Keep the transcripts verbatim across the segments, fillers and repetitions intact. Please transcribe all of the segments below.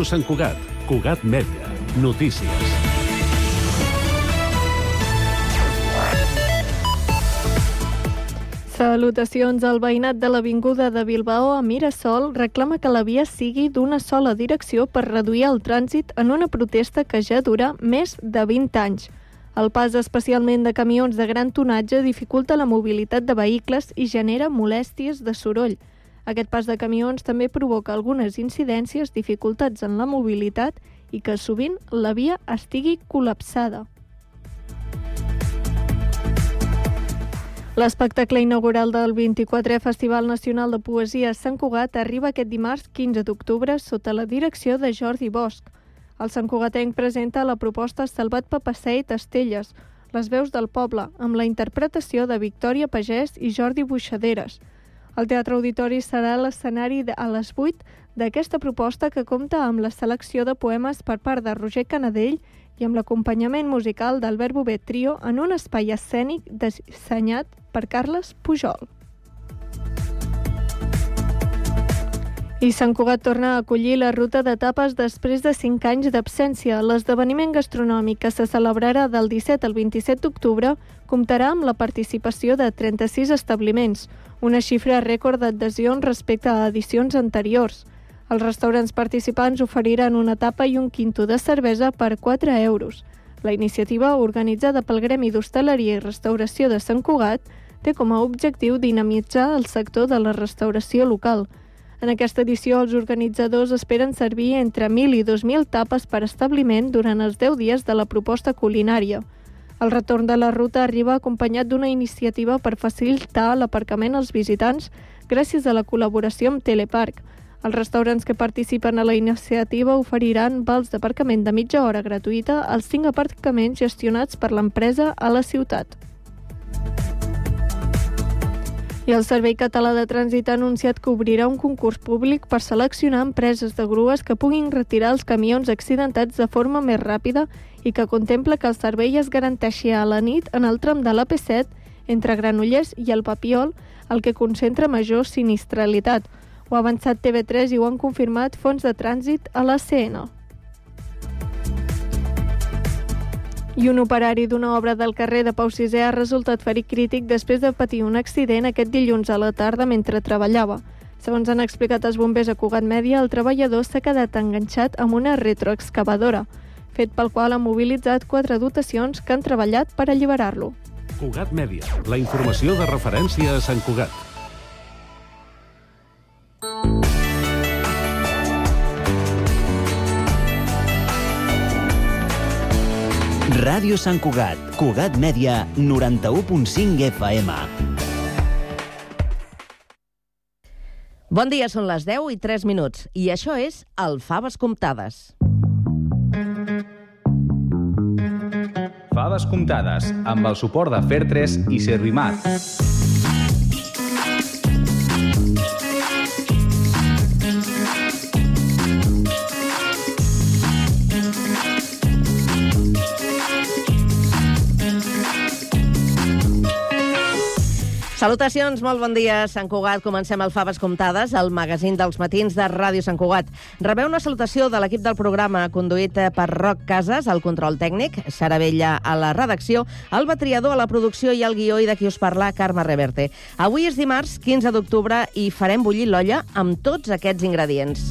Ràdio Sant Cugat. Cugat Mèdia. Notícies. Salutacions. El veïnat de l'avinguda de Bilbao a Mirasol reclama que la via sigui d'una sola direcció per reduir el trànsit en una protesta que ja dura més de vint anys. El pas especialment de camions de gran tonatge dificulta la mobilitat de vehicles i genera molèsties de soroll. Aquest pas de camions també provoca algunes incidències, dificultats en la mobilitat i que sovint la via estigui col·lapsada. L'espectacle inaugural del vint-i-quatrè Festival Nacional de Poesia a Sant Cugat arriba aquest dimarts quinze d'octubre sota la direcció de Jordi Bosch. El santcugatenc presenta la proposta Salvat Papasseit Estelles, les veus del poble, amb la interpretació de Victòria Pagès i Jordi Buixaderes. El Teatre Auditori serà l'escenari a les vuit d'aquesta proposta que compta amb la selecció de poemes per part de Roger Canadell i amb l'acompanyament musical d'Albert Bovet Trio en un espai escènic dissenyat per Carles Pujol. I Sant Cugat torna a acollir la ruta de tapes després de cinc anys d'absència. L'esdeveniment gastronòmic que se celebrarà del disset al vint-i-set d'octubre comptarà amb la participació de trenta-sis establiments, una xifra rècord d'adhesions respecte a edicions anteriors. Els restaurants participants oferiran una tapa i un quinto de cervesa per quatre euros. La iniciativa, organitzada pel Gremi d'Hostaleria i Restauració de Sant Cugat, té com a objectiu dinamitzar el sector de la restauració local. En aquesta edició, els organitzadors esperen servir entre mil i dos mil tapes per establiment durant els deu dies de la proposta culinària. El retorn de la ruta arriba acompanyat d'una iniciativa per facilitar l'aparcament als visitants gràcies a la col·laboració amb Teleparc. Els restaurants que participen a la iniciativa oferiran vals d'aparcament de mitja hora gratuïta als cinc aparcaments gestionats per l'empresa a la ciutat. I el Servei Català de Trànsit ha anunciat que obrirà un concurs públic per seleccionar empreses de grues que puguin retirar els camions accidentats de forma més ràpida i que contempla que el servei es garanteixi a la nit en el tram de l'A P set entre Granollers i el Papiol, el que concentra major sinistralitat. Ho ha avançat T V tres i ho han confirmat fonts de trànsit a la C N. I un operari d'una obra del carrer de Pau sisè ha resultat ferit crític després de patir un accident aquest dilluns a la tarda mentre treballava. Segons han explicat els bombers a Cugat Mèdia, el treballador s'ha quedat enganxat amb una retroexcavadora, fet pel qual han mobilitzat quatre dotacions que han treballat per alliberar-lo. Cugat Mèdia, la informació de referència a Sant Cugat. Ràdio Sant Cugat, Cugat Mèdia, noranta-u punt cinc F M. Bon dia, són les deu i tres minuts, i això és el Faves Comptades. Faves Comptades, amb el suport de Fertres i Servimat. Salutacions, molt bon dia, Sant Cugat. Comencem el Faves Comptades, el magazín dels matins de Ràdio Sant Cugat. Rebeu una salutació de l'equip del programa, conduït per Roc Casas, al control tècnic, Sara Vella a la redacció, el Batriador a la producció i el guió, i de qui us parla, Carme Reverte. Avui és dimarts, quinze d'octubre, i farem bullir l'olla amb tots aquests ingredients.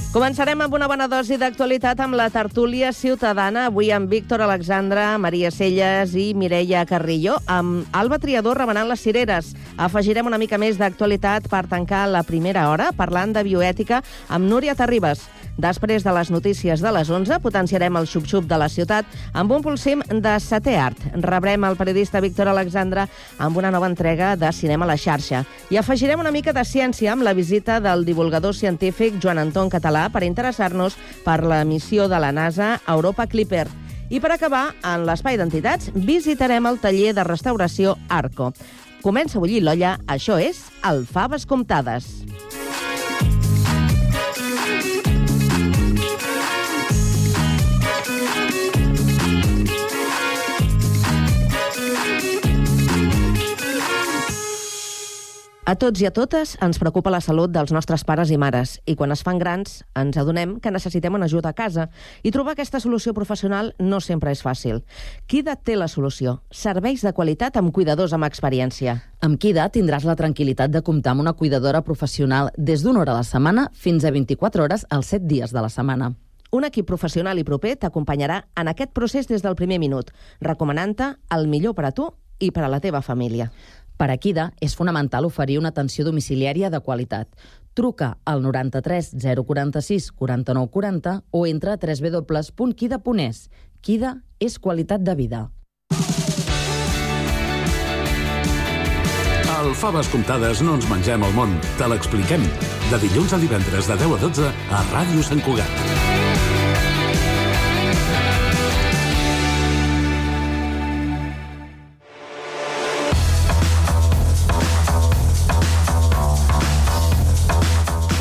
Començarem amb una bona dosi d'actualitat amb la tertúlia ciutadana, avui amb Víctor Alexandra, Maria Celles i Mireia Carrillo, amb Alba Triador remenant les cireres. Afegirem una mica més d'actualitat per tancar la primera hora parlant de bioètica amb Núria Terribas. Després de les notícies de les onze, potenciarem el xup-xup de la ciutat amb un pulsim de setè art. Rebrem el periodista Víctor Alexandra amb una nova entrega de Cinema a la xarxa. I afegirem una mica de ciència amb la visita del divulgador científic Joan Anton Català per interessar-nos per la missió de la NASA Europa Clipper. I per acabar, en l'espai d'entitats, visitarem el taller de restauració Arco. Comença a bullir l'olla, això és el Faves Comptades. A tots i a totes ens preocupa la salut dels nostres pares i mares i quan es fan grans ens adonem que necessitem una ajuda a casa i trobar aquesta solució professional no sempre és fàcil. Kida té la solució. Serveis de qualitat amb cuidadors amb experiència. Amb Kida tindràs la tranquil·litat de comptar amb una cuidadora professional des d'una hora a la setmana fins a vint-i-quatre hores els set dies de la setmana. Un equip professional i proper t'acompanyarà en aquest procés des del primer minut, recomanant-te el millor per a tu i per a la teva família. Per a Kida és fonamental oferir una atenció domiciliària de qualitat. Truca al noranta-tres zero quaranta-sis quaranta-nou quaranta o entra a w w w punt kida punt es. Kida és qualitat de vida. Al Faves Comptades no ens mengem el món, te l'expliquem. De dilluns a divendres de deu a dotze a Ràdio Sant Cugat.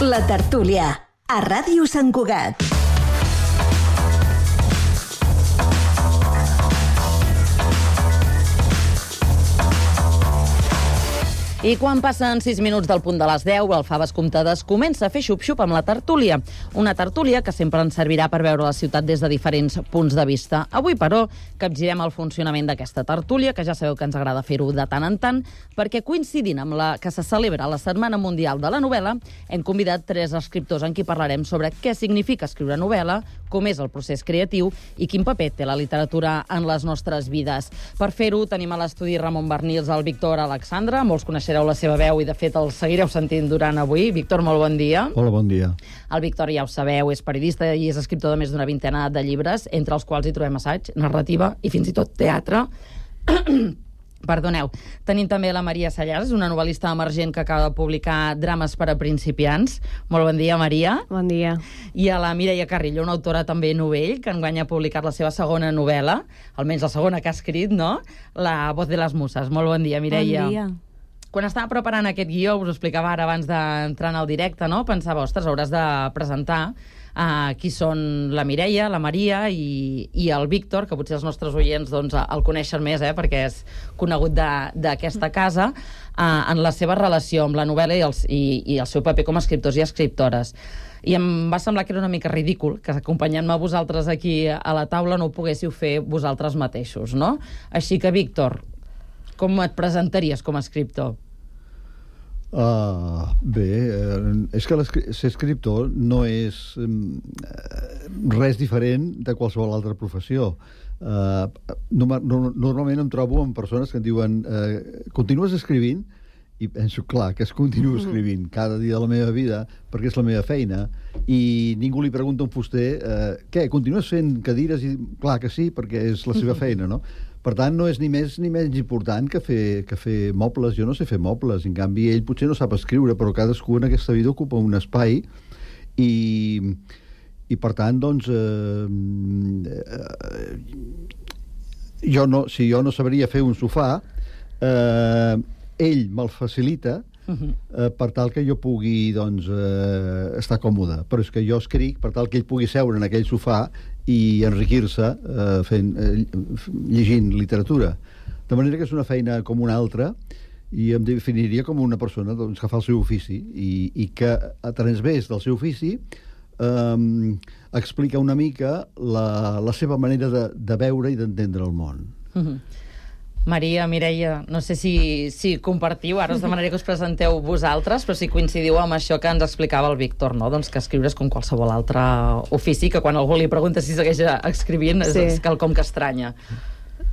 La tertúlia, a Ràdio Sant Cugat. I quan passen sis minuts del punt de les deu, el Faves Comptades comença a fer xup-xup amb la tertúlia. Una tertúlia que sempre ens servirà per veure la ciutat des de diferents punts de vista. Avui, però, capgirem el funcionament d'aquesta tertúlia, que ja sabeu que ens agrada fer-ho de tant en tant, perquè coincidint amb la que se celebra la Setmana Mundial de la Novel·la, hem convidat tres escriptors en qui parlarem sobre què significa escriure novel·la, com és el procés creatiu i quin paper té la literatura en les nostres vides. Per fer-ho, tenim a l'estudi Ramon Barnils, el Víctor Alexandre, molts coneixereu la seva veu i, de fet, el seguireu sentint durant avui. Víctor, molt bon dia. Hola, bon dia. El Víctor, ja ho sabeu, és periodista i és escriptor de més d'una vintena de llibres, entre els quals hi trobem assaig, narrativa i fins i tot teatre. Perdoneu. Tenim també la Maria Sallars, una novel·lista emergent que acaba de publicar Drames per a principiants. Molt bon dia, Maria. Bon dia. I a la Mireia Carrillo, una autora també novell, que enguany ha publicat la seva segona novel·la, almenys la segona que ha escrit, no? La voz de les muses. Molt bon dia, Mireia. Bon dia. Quan estava preparant aquest guió, us ho explicava ara abans d'entrar en el directe, no? Pensava, ostres, hauràs de presentar uh, qui són la Mireia, la Maria i, i el Víctor, que potser els nostres oients doncs, el coneixen més, eh, perquè és conegut d'aquesta casa, uh, en la seva relació amb la novel·la i, els, i, i el seu paper com a escriptors i escriptores. I em va semblar que era una mica ridícul que acompanyant-me a vosaltres aquí a la taula no ho poguéssiu fer vosaltres mateixos, no? Així que, Víctor, com et presentaries com a escriptor? Uh, bé, uh, és que ser escriptor no és um, res diferent de qualsevol altra professió. Uh, no, no, normalment em trobo amb persones que em diuen uh, continues escrivint? I penso, clar, que es continuo escrivint cada dia de la meva vida, perquè és la meva feina, i ningú li pregunta a un fuster uh, què, continues fent cadires? I clar que sí, perquè és la seva feina, no? Per tant, no és ni més ni menys important que fer, que fer mobles. Jo no sé fer mobles, en canvi ell potser no sap escriure, però cadascú en aquesta vida ocupa un espai i, i per tant, doncs eh, eh, jo no, si jo no sabria fer un sofà, eh, ell me'l facilita eh, per tal que jo pugui doncs, eh, estar còmode, però és que jo escric per tal que ell pugui seure en aquell sofà i enriquir-se eh, fent, eh, llegint literatura. De manera que és una feina com una altra i em definiria com una persona doncs, que fa el seu ofici i, i que a través del seu ofici eh, explica una mica la, la seva manera de, de veure i d'entendre el món. Mm-hmm. Maria, Mireia, no sé si, si compartiu, ara us demanaré que us presenteu vosaltres, però si coincidiu amb això que ens explicava el Víctor, no? Doncs que escriure és com qualsevol altre ofici, que quan algú li pregunta si segueix escrivint és, sí. és quelcom que estranya.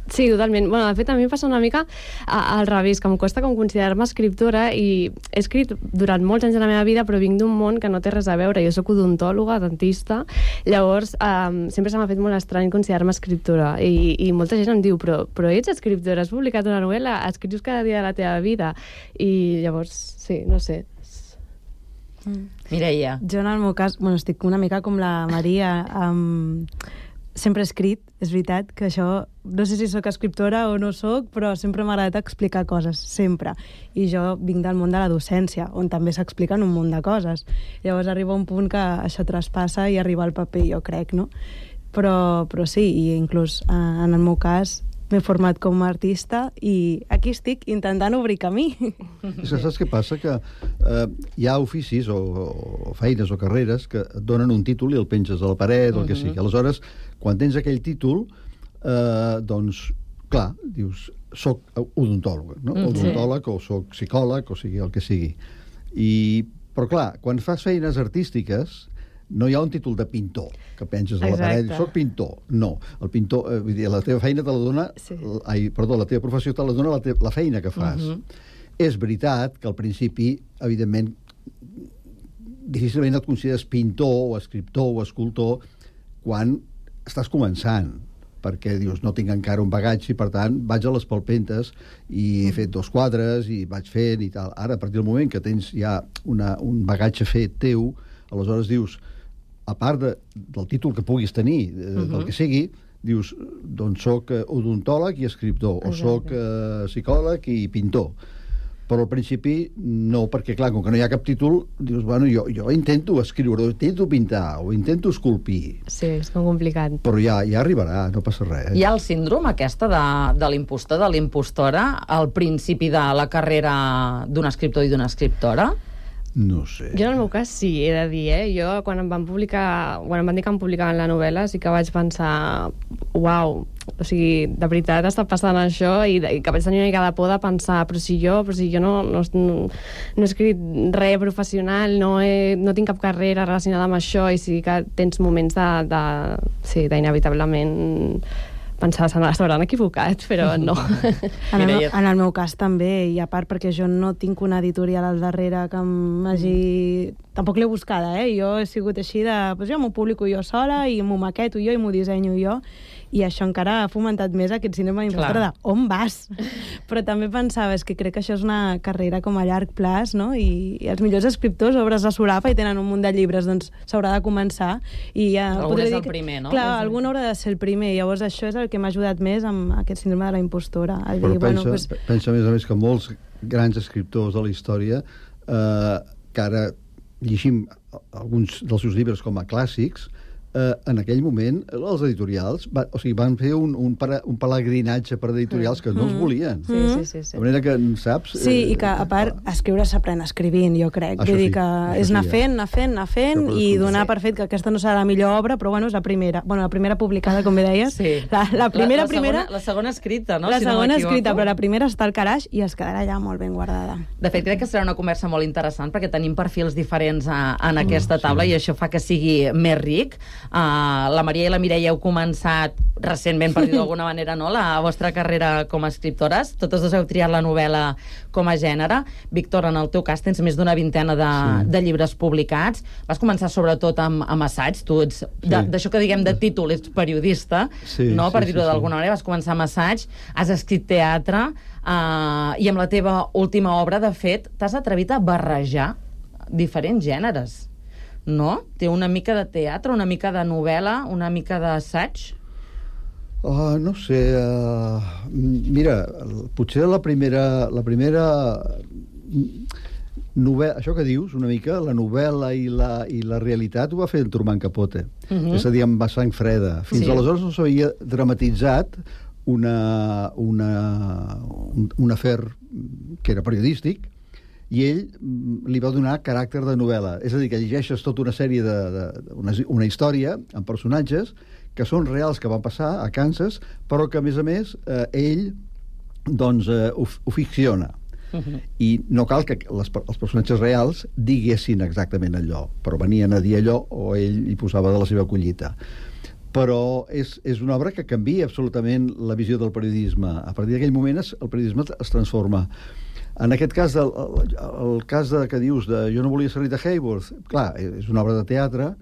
Sí, totalment. Bueno, de fet, a mi em passa una mica al revés, que em costa com considerar-me escriptora i he escrit durant molts anys de la meva vida, però vinc d'un món que no té res a veure. Jo soc odontòloga, dentista, llavors um, sempre se m'ha fet molt estrany considerar-me escriptora i, i molta gent em diu, però, però ets escriptora, has publicat una novel·la, escrius cada dia de la teva vida i llavors, sí, no sé. Mm. Mireia. Jo en el meu cas, bueno, estic una mica com la Maria, um, sempre he escrit, és veritat que això, no sé si sóc escriptora o no sóc, però sempre m'ha agradat explicar coses, sempre. I jo vinc del món de la docència, on també s'expliquen un munt de coses. Llavors arriba un punt que això traspassa i arriba al paper, jo crec, no? Però, però sí, i inclús eh, en el meu cas, m'he format com a artista i aquí estic intentant obrir camí. És que saps què passa? Que eh, hi ha oficis o, o feines o carreres que et donen un títol i el penges a la paret o el que sigui. Aleshores, quan tens aquell títol, eh, doncs, clar, dius, soc odontòleg, no? Mm, odontòleg sí. O soc psicòleg, o sigui, el que sigui. I, però clar, quan fas feines artístiques, no hi ha un títol de pintor que penses a la paret, soc pintor. No, el pintor, eh, vull dir, la teva feina te la dona, sí. ai, perdó, la teva professió te la dona la, te, la feina que fas. Uh -huh. És veritat que al principi, evidentment, difícilment et consideres pintor o escriptor o escultor quan estàs començant, perquè dius, no tinc encara un bagatge i, per tant, vaig a les palpentes i he fet dos quadres i vaig fent i tal. Ara, a partir del moment que tens ja una, un bagatge fet teu, aleshores dius, a part de, del títol que puguis tenir, eh, uh -huh. del que sigui, dius, doncs soc odontòleg i escriptor, o soc eh, psicòleg i pintor. Però al principi no, perquè clar, com que no hi ha cap títol, dius, bueno, jo, jo intento escriure, o intento pintar, o intento esculpir. Sí, és com complicat. Però ja, ja arribarà, no passa res. Eh? Hi ha el síndrome aquesta de, de l'impostor, de l'impostora, al principi de la carrera d'un escriptor i d'una escriptora? No sé. Jo en el meu cas sí, he de dir, eh? Jo quan em van publicar, quan em van dir que em publicaven la novel·la sí que vaig pensar, uau, o sigui, de veritat està passant això i, i que vaig tenir una mica de por de pensar, però si jo, però si jo no, no, no, no he escrit res professional, no, he, no tinc cap carrera relacionada amb això i sí que tens moments de, de sí, d'inevitablement pensar que s'hauran equivocat, però no. En el, en el meu cas també, i a part perquè jo no tinc una editorial al darrere que m'hagi... Tampoc l'he buscada, eh? Jo he sigut així de... Pues jo m'ho publico jo sola i m'ho maqueto jo i m'ho dissenyo jo, i això encara ha fomentat més aquest cinema d'impostora de on vas? Però també pensava, és que crec que això és una carrera com a llarg plaç, no? I, i els millors escriptors, obres de solapa i tenen un munt de llibres, doncs s'haurà de començar. I ja algun és el primer, no? Clar, algun haurà de ser el primer, llavors això és el que m'ha ajudat més amb aquest síndrome de la impostora. Però dir, pensa, bueno, pues... pensa, a més a més, que molts grans escriptors de la història, eh, que ara llegim alguns dels seus llibres com a clàssics, eh, en aquell moment els editorials va, o sigui, van fer un, un, para, un pelegrinatge per editorials que no els volien. Sí, sí, sí, sí. De manera que, saps... Sí, eh, i que a part escriure s'aprèn escrivint, jo crec. Vull dir que és anar fent, anar fent, anar fent i donar per fet que aquesta no serà la millor obra, però bueno, és la primera. Bueno, la primera publicada, com bé deies. Sí. La, la primera, la, la primera... Segona, la segona escrita, no? La si segona no escrita, però la primera està al calaix i es quedarà allà molt ben guardada. De fet, crec que serà una conversa molt interessant perquè tenim perfils diferents a, en aquesta taula mm, sí. i això fa que sigui més ric. Uh, la Maria i la Mireia heu començat recentment, per dir d'alguna manera, no? La vostra carrera com a escriptores. Totes dos heu triat la novel·la com a gènere. Víctor, en el teu cas tens més d'una vintena de, sí. de llibres publicats. Vas començar sobretot amb, amb assaig. Tu ets, sí. d'això que diguem de títol, ets periodista, sí, no? Per sí, dir-ho sí, d'alguna sí. manera. Vas començar amb assaig, has escrit teatre, uh, i amb la teva última obra, de fet, t'has atrevit a barrejar diferents gèneres. No? Té una mica de teatre, una mica de novel·la, una mica d'assaig? Uh, no sé... Uh, mira, potser la primera... La primera novel·la, això que dius, una mica, la novel·la i la, i la realitat ho va fer en Truman Capote. Uh -huh. És a dir, amb sang freda. Fins sí. aleshores no s'havia dramatitzat una, una, un, un afer que era periodístic, i ell li va donar caràcter de novel·la. És a dir, que llegeixes tota una sèrie de... de una, una història amb personatges que són reals, que van passar a Kansas, però que, a més a més, eh, ell doncs, eh, ho, ho ficciona. Uh-huh. I no cal que les, els personatges reals diguessin exactament allò, però venien a dir allò o ell hi posava de la seva collita. Però és, és una obra que canvia absolutament la visió del periodisme. A partir d'aquell moment es, el periodisme es transforma. En aquest cas, el, el, el cas de, que dius de Jo no volia ser Rita Hayworth, clar, és una obra de teatre,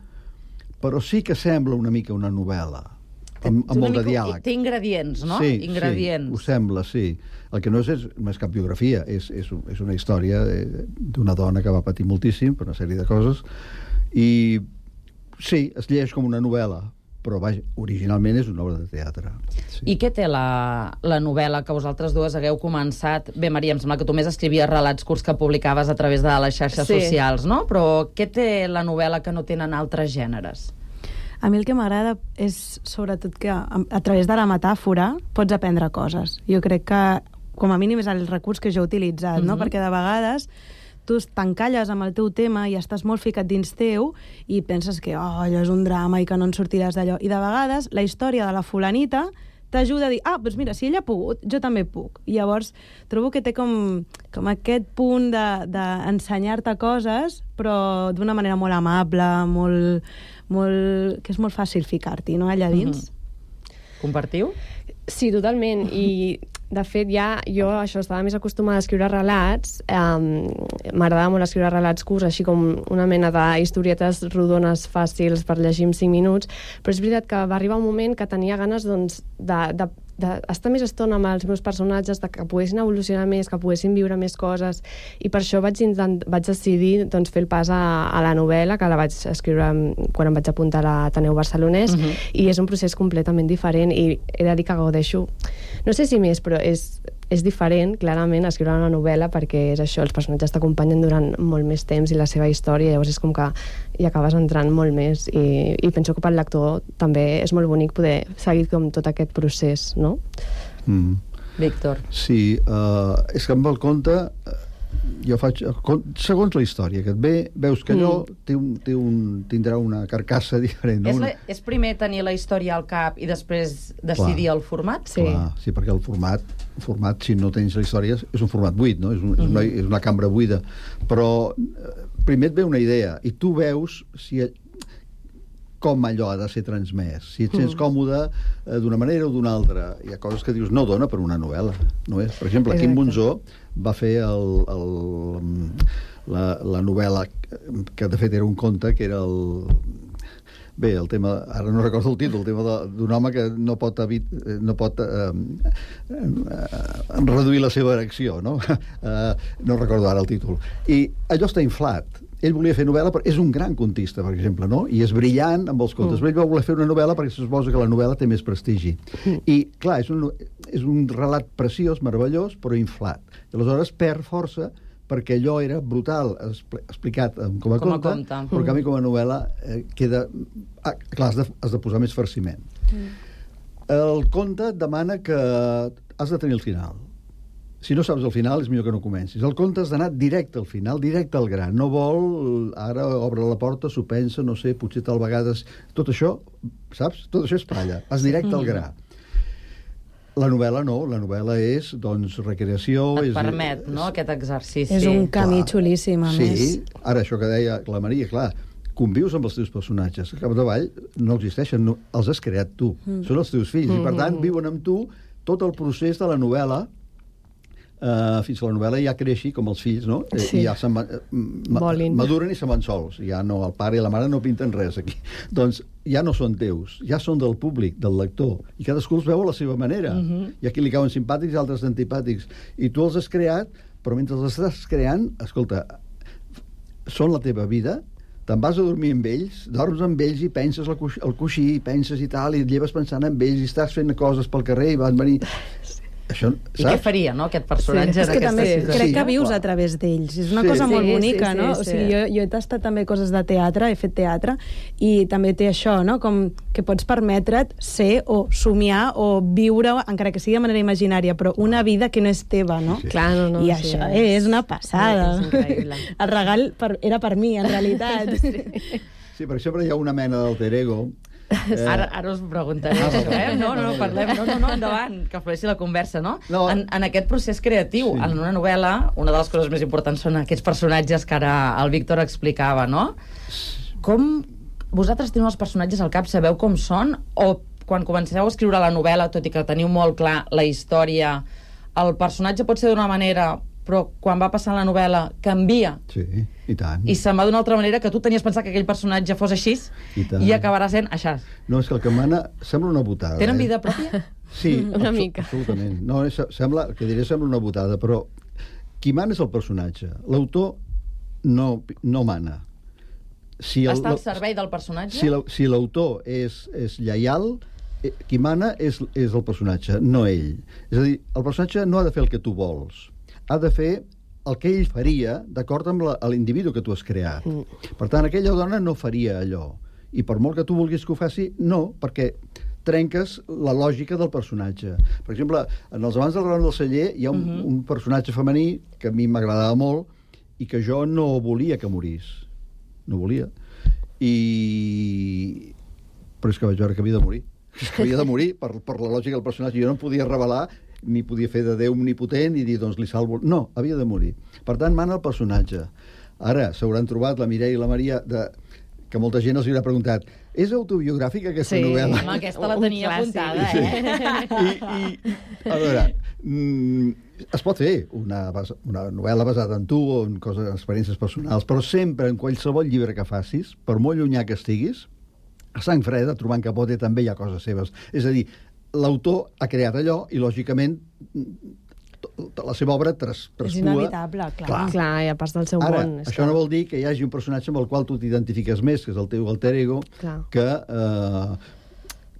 però sí que sembla una mica una novel·la, amb, amb molt de diàleg. Té ingredients, no? Sí, ingredients. sí, ho sembla, sí. El que no és, és, no és cap biografia, és, és, és una història d'una dona que va patir moltíssim per una sèrie de coses, i sí, es llegeix com una novel·la, però vaja, originalment és una obra de teatre. Sí. I què té la, la novel·la que vosaltres dues hagueu començat? Bé, Maria, em sembla que tu més escrivies relats curts que publicaves a través de les xarxes sí. socials, no? Però què té la novel·la que no tenen altres gèneres? A mi el que m'agrada és, sobretot, que a, a través de la metàfora pots aprendre coses. Jo crec que, com a mínim, és el recurs que jo he utilitzat, mm-hmm. no? Perquè de vegades tu t'encalles amb el teu tema i estàs molt ficat dins teu i penses que oh, allò és un drama i que no en sortiràs d'allò. I de vegades la història de la fulanita t'ajuda a dir, ah, doncs mira, si ella ha pogut, jo també puc. I llavors trobo que té com, com aquest punt d'ensenyar-te de, coses, però d'una manera molt amable, molt, molt, que és molt fàcil ficar-t'hi, no?, allà dins. Mm-hmm. Compartiu? Sí, totalment. I, de fet, ja jo això estava més acostumada a escriure relats. Um, M'agradava molt escriure relats curts, així com una mena de historietes rodones fàcils per llegir en cinc minuts, però és veritat que va arribar un moment que tenia ganes doncs, de, de d'estar més estona amb els meus personatges, de que poguessin evolucionar més, que poguessin viure més coses, i per això vaig, intent, vaig decidir doncs, fer el pas a, a la novel·la, que la vaig escriure quan em vaig apuntar a l'Ateneu Barcelonès, uh-huh. i és un procés completament diferent, i he de dir que gaudeixo, no sé si més, però és, és diferent, clarament, escriure una novel·la, perquè és això, els personatges t'acompanyen durant molt més temps i la seva història, llavors és com que hi acabes entrant molt més, i, i penso que pel lector també és molt bonic poder seguir com tot aquest procés, no? Mm. Víctor. Sí, uh, és que amb el conte uh, jo faig, segons la història que et ve, veus que allò mm. té un, té un, tindrà una carcassa diferent, no? És, la, és primer tenir la història al cap i després decidir Clar. el format? Sí. Clar, sí, perquè el format, el format, si no tens la història, és un format buit, no? És, un, mm-hmm. és, una, és una cambra buida. Però primer et ve una idea i tu veus si com allò ha de ser transmès, si et sents mm. còmode eh, d'una manera o d'una altra. Hi ha coses que dius, no dona per una novel·la, no és? Per exemple, Quim Monzó va fer el, el, la, la novel·la que de fet era un conte, que era el... Bé, el tema, ara no recordo el títol, el tema d'un home que no pot, evit, no pot eh, eh, reduir la seva erecció, no? Eh, no recordo ara el títol. I allò està inflat. Ell volia fer novel·la, però és un gran contista, per exemple, no? I és brillant amb els contes. Mm. Però ell va voler fer una novel·la perquè se suposa que la novel·la té més prestigi. Mm. I, clar, és un, és un relat preciós, meravellós, però inflat. I aleshores perd força perquè allò era brutal, explicat com a, com a conte, conte, però que a mi com a novel·la eh, queda... Ah, clar, has de, has de posar més farciment. Mm. El conte demana que has de tenir el final. Si no saps el final, és millor que no comencis. El conte has d'anar directe al final, directe al gra. No vol, ara obre la porta, s'ho pensa, no sé, potser tal vegades... Tot això, saps? Tot això és palla. Vas directe al gra. La novel·la no, la novel·la és, doncs, recreació... Et és, permet, no?, aquest exercici. És un camí clar. xulíssim, a sí, més. Sí, ara això que deia la Maria, clar, convius amb els teus personatges. Al capdavall no existeixen, no, els has creat tu. Mm. Són els teus fills, mm. i per tant viuen amb tu tot el procés de la novel·la. Uh, fins que la novel·la ja creixi com els fills, no? Sí. I ja se'n van, ma, maduren i se'n van sols. Ja no, el pare i la mare no pinten res aquí. Doncs ja no són teus, ja són del públic, del lector. I cadascú els veu a la seva manera. Uh-huh. I aquí li cauen simpàtics i altres antipàtics. I tu els has creat, però mentre els estàs creant, escolta, són la teva vida, te'n vas a dormir amb ells, dorms amb ells i penses al coixí, al coixí i penses i tal, i et lleves pensant en ells i estàs fent coses pel carrer i van venir... Això, I què faria, no?, aquest personatge? Sí, és que també situació. crec Sí, que vius clar. a través d'ells. És una Sí. cosa molt Sí, bonica, sí, no? sí, O sigui, sí. jo, jo he tastat també coses de teatre, he fet teatre, i també té això, no?, com que pots permetre't ser o somiar o viure, encara que sigui de manera imaginària, però una vida que no és teva, no? Sí, sí. Clar, no, no. I sí, això és una passada. És increïble. El regal per, era per mi, en realitat. Sí, per exemple, hi ha una mena d'alter ego. Eh... Ara, ara us preguntaré Ah, això, eh? No, no, no, parlem. No, no, no, endavant, que flueixi la conversa, no? No. En, en aquest procés creatiu, Sí. en una novel·la, una de les coses més importants són aquests personatges que ara el Víctor explicava, no? Com vosaltres teniu els personatges al cap, sabeu com són? O quan comenceu a escriure la novel·la, tot i que teniu molt clar la història, el personatge pot ser d'una manera, però quan va passant la novel·la canvia Sí, i tant. i se'n va d'una altra manera que tu tenies pensat que aquell personatge fos així I tant. i acabarà sent això. No, és que el que mana sembla una botada. Tenen eh? vida pròpia? Sí, Una abso- mica. absolutament. No, és, sembla, el que diré sembla una botada, però qui mana és el personatge. L'autor no, no mana. Si el, Està al servei del personatge? Si la- si l'autor és, és lleial, eh, qui mana és, és el personatge, no ell. És a dir, el personatge no ha de fer el que tu vols. Ha de fer el que ell faria d'acord amb la- l'individu que tu has creat. Mm. Per tant, aquella dona no faria allò. I per molt que tu vulguis que ho faci, no, perquè trenques la lògica del personatge. Per exemple, en els Amants del Ram del Celler hi ha un, uh-huh. un personatge femení que a mi m'agradava molt i que jo no volia que morís. No volia. I... Però és que vaig veure que havia de morir. És que havia de morir per, per la lògica del personatge. Jo no em podia revelar ni podia fer de Déu omnipotent i dir, doncs, li salvo... No, havia de morir. Per tant, mana el personatge. Ara, s'hauran trobat la Mireia i la Maria, de... que molta gent els haurà preguntat, és autobiogràfica aquesta sí, novel·la? Sí, aquesta la tenia apuntada, eh? I, i, a veure, mm, es pot fer una, una novel·la basada en tu o en coses, en experiències personals, però sempre, en qualsevol llibre que facis, per molt llunyà que estiguis, a sang freda, trobant Capote, també hi ha coses seves. És a dir, l'autor ha creat allò i, lògicament, la seva obra tras, traspua... És inevitable, clar. Clar, clar ja pas del seu Ara, món. això no vol dir que hi hagi un personatge amb el qual tu t'identifiques més, que és el teu alter ego, clar. que... Eh,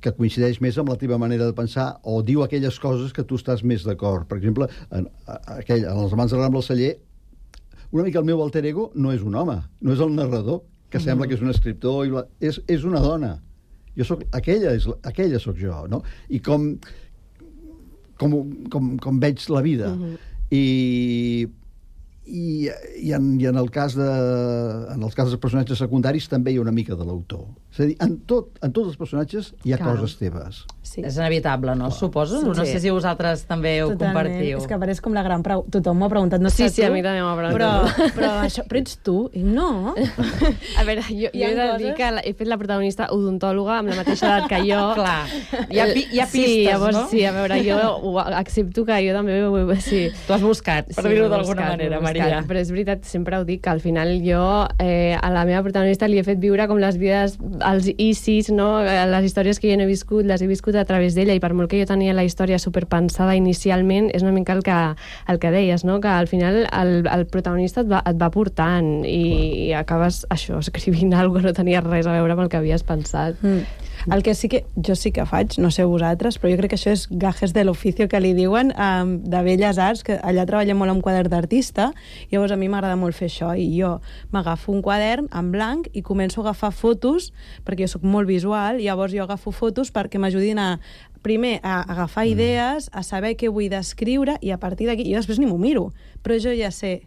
que coincideix més amb la teva manera de pensar o diu aquelles coses que tu estàs més d'acord. Per exemple, en, aquell, en Els Amants del Ram del Celler, una mica el meu alter ego no és un home, no és el narrador, que mm-hmm. sembla que és un escriptor, i bla, és, és una dona. Jo soc, aquella, és, aquella sóc jo, no? I com, com, com, com veig la vida. Mm-hmm. I... I, i, en, i en el cas de en els cas dels personatges secundaris també hi ha una mica de l'autor. És a dir, en, tot, en tots els personatges hi ha Clar. coses teves. Sí. És inevitable, no? Clar. Suposo? Sí. No sé si vosaltres també ho Totalment. compartiu. És que pareix com la gran pregunta. Tothom m'ho ha preguntat, no sí, sé sí, tu. a mi també m'ho ha preguntat. Però, però, això, però ets tu? I no. A veure, jo, jo he de dir que he fet la protagonista odontòloga amb la mateixa edat que jo. Clar. Hi ha, hi ha pistes, sí, llavors, no? Sí, a veure, jo ho accepto que jo també ho... Sí. Tu has buscat, per sí, dir-ho d'alguna manera, Maria. Però és veritat, sempre ho dic, que al final jo eh, a la meva protagonista li he fet viure com les vides, els icis, no? Les històries que jo no he viscut, les he viscut a través d'ella, i per molt que jo tenia la història superpensada inicialment, és una mica el que, el que deies, no? Que al final el, el protagonista et va, et va portant i, i acabes això, escrivint alguna cosa que no tenia res a veure amb el que havies pensat. Mm. El que sí que jo sí que faig, no sé vosaltres, però jo crec que això és gajes de l'oficio que li diuen, um, de Belles Arts, que allà treballem molt amb quadern d'artista, i llavors a mi m'agrada molt fer això, i jo m'agafo un quadern en blanc i començo a agafar fotos, perquè jo sóc molt visual, i llavors jo agafo fotos perquè m'ajudin a, primer, a agafar idees, a saber què vull descriure, i a partir d'aquí, jo després ni m'ho miro, però jo ja sé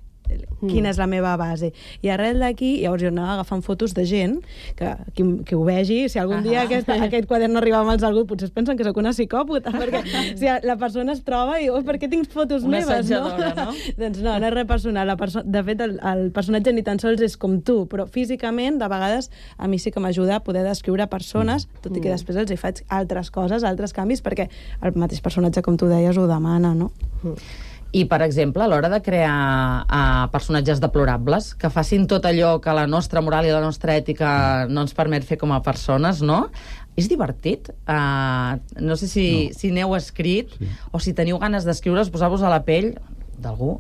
quina és la meva base. I arrel d'aquí, llavors jo anava agafant fotos de gent que, que, que ho vegi. Si algun dia aquest, aquest quadern no arriba a mans d'algú, potser es pensen que sóc una psicòpata, perquè si la persona es troba i, oh, per què tinc fotos una meves, no? no? Doncs no, no és res personal. La perso de fet, el, el personatge ni tan sols és com tu, però físicament, de vegades, a mi sí que m'ajuda a poder descriure persones, tot i que després els hi faig altres coses, altres canvis, perquè el mateix personatge, com tu deies, ho demana, no? I, per exemple, a l'hora de crear uh, personatges deplorables, que facin tot allò que la nostra moral i la nostra ètica no ens permet fer com a persones, no? És divertit? Uh, no sé si, no. si n'heu escrit sí. o si teniu ganes d'escriure, posar-vos a la pell d'algú,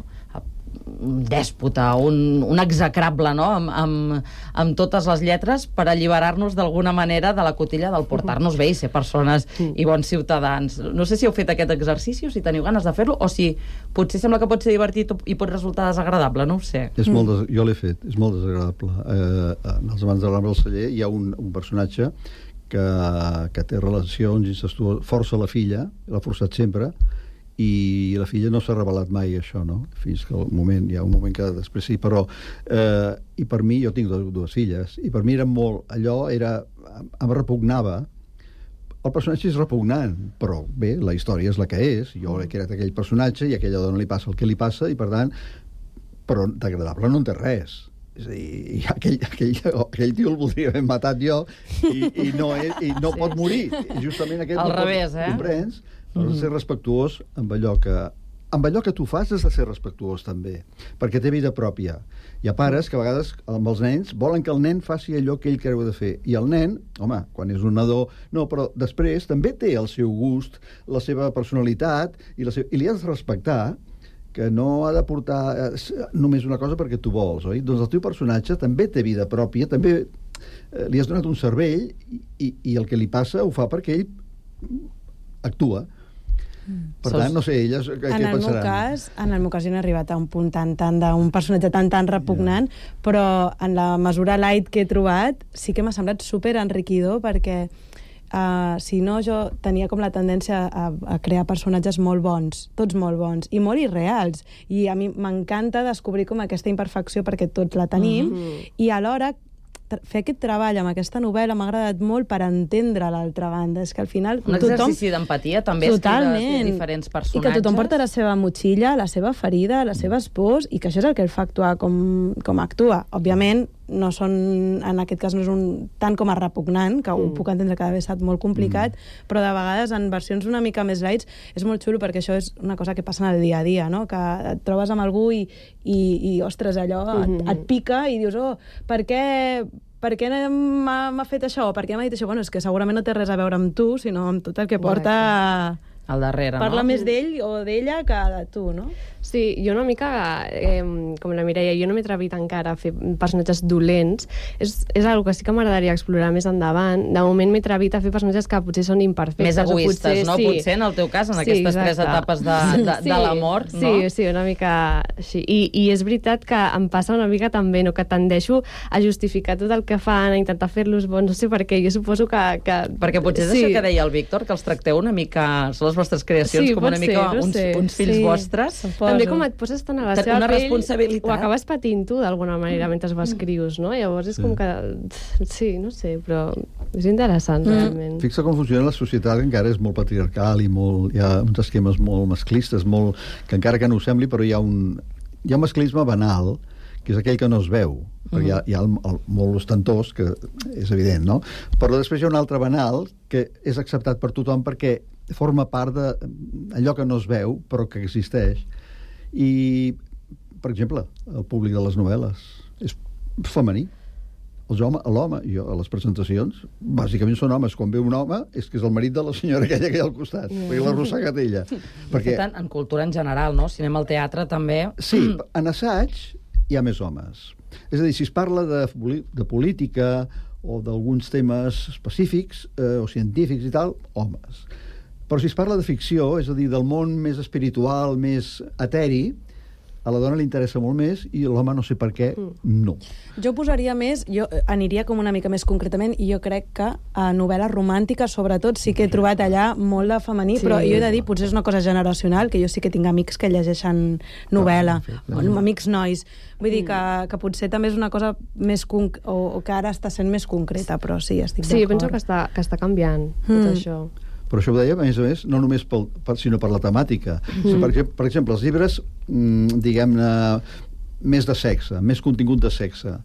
un dèspota, un, un execrable, no? Amb, amb, amb totes les lletres, per alliberar-nos d'alguna manera de la cotilla del portar-nos bé i ser persones i bons ciutadans. No sé si heu fet aquest exercici o si teniu ganes de fer-lo, o si potser sembla que pot ser divertit i pot resultar desagradable, no ho sé. És molt des... Jo l'he fet, és molt desagradable. Eh, en Els Amants del Ram del Celler hi ha un, un personatge que, que té relacions incestuoses, força la filla, l'ha forçat sempre, i la filla no s'ha revelat mai això, no? Fins que el moment, hi ha un moment que després sí, però eh, i per mi, jo tinc dues, dues filles, i per mi era molt, allò era, em repugnava. El personatge és repugnant, però bé, la història és la que és, jo he creat aquell personatge i a aquella dona li passa el que li passa, i per tant, però d'agradable no en té res. És a dir, aquell, aquell, aquell tio el voldria haver matat jo i, i no, és, i no sí. pot morir. I justament aquest al no revés, pot, eh? Comprens? Has de ser respectuós amb allò que... Amb allò que tu fas has de ser respectuós, també, perquè té vida pròpia. Hi ha pares que a vegades, amb els nens, volen que el nen faci allò que ell creu de fer. I el nen, home, quan és un nadó... No, però després també té el seu gust, la seva personalitat, i, la seva... i li has de respectar que no ha de portar només una cosa perquè tu vols, oi? Doncs el teu personatge també té vida pròpia, també eh, li has donat un cervell i, i el que li passa ho fa perquè ell actua. Per tant, no sé, elles què en el pensaran? Meu cas, en el meu cas jo no he arribat a un punt tan, tan d'un personatge tan, tan repugnant, yeah. però en la mesura light que he trobat sí que m'ha semblat super enriquidor perquè uh, si no jo tenia com la tendència a, a crear personatges molt bons, tots molt bons, i molt irreals. I a mi m'encanta descobrir com aquesta imperfecció perquè tots la tenim, mm-hmm. i alhora fer aquest treball amb aquesta novel·la m'ha agradat molt per entendre l'altra banda. És que al final... Un exercici tothom... d'empatia, també, escriure diferents personatges. I que tothom porta la seva motxilla, la seva ferida, les seves pors, i que això és el que el fa actuar com, com actua. Òbviament, no són, en aquest cas no és un, tant com a repugnant, que mm. ho puc entendre que ha estat molt complicat, mm. però de vegades en versions una mica més lights és molt xulo perquè això és una cosa que passa en el dia a dia, no? Que et trobes amb algú i, i, i ostres, allò mm. et, et pica i dius, oh, per què... per què m'ha fet això? Per què m'ha dit això? Bueno, és que segurament no té res a veure amb tu, sinó amb tot el que porta... al darrere, Parla no? més d'ell o d'ella que de tu, no? Sí, jo una mica, eh, com la Mireia, jo no m'he atrevit encara a fer personatges dolents. És, és una cosa que sí que m'agradaria explorar més endavant. De moment m'he atrevit a fer personatges que potser són imperfectes. Més egoistes, potser, no? Sí. Potser en el teu cas, en sí, aquestes exacte. tres etapes de, de, sí, de l'amor, no? Sí, sí, una mica així. I, I és veritat que em passa una mica també, no? Que tendeixo a justificar tot el que fan, a intentar fer-los bons, no sé per què. Jo suposo que... que... Perquè potser és sí. això que deia el Víctor, que els tracteu una mica... Són les vostres creacions, sí, com una mica ser, no uns, sé. uns fills sí. vostres. Suposo. També com et poses tant a la seva una pell, responsabilitat. ho acabes patint tu d'alguna manera mentre ho escrius, no? Llavors és com que... Sí, no sé, però és interessant, mm. realment. Fixa com funciona la societat, que encara és molt patriarcal i molt, hi ha uns esquemes molt masclistes, molt, que encara que no ho sembli, però hi ha un, hi ha un masclisme banal, que és aquell que no es veu, perquè hi ha, hi ha el, el, molt ostentós, que és evident, no? Però després hi ha un altre banal que és acceptat per tothom perquè forma part d'allò que no es veu, però que existeix. I, per exemple, el públic de les novel·les és femení. L'home, jo, a les presentacions, bàsicament són homes. Quan ve un home, és que és el marit de la senyora aquella que hi ha al costat, mm. perquè l'ha arrossegat ella. Perquè... Tant, en cultura en general, no? Cinema al teatre, també... Sí, en assaig hi ha més homes. És a dir, si es parla de, de política o d'alguns temes específics eh, o científics i tal, homes. Però si es parla de ficció, és a dir, del món més espiritual, més eteri, a la dona li interessa molt més i l'home no sé per què, no. Jo posaria més, jo aniria com una mica més concretament, i jo crec que a novel·les romàntiques, sobretot, sí que he trobat allà molt de femení, sí. Però jo he de dir, potser és una cosa generacional, que jo sí que tinc amics que llegeixen novel·la, no, no. amics nois. Vull dir que, que potser també és una cosa més conc o, o que ara està sent més concreta, però sí, estic sí, d'acord. Sí, penso que està, que està canviant tot mm. això. Però això ho deia, a més a més, no només pel, per, sinó per la temàtica. Mm. Per, per exemple, els llibres, diguem-ne, més de sexe, més contingut de sexe.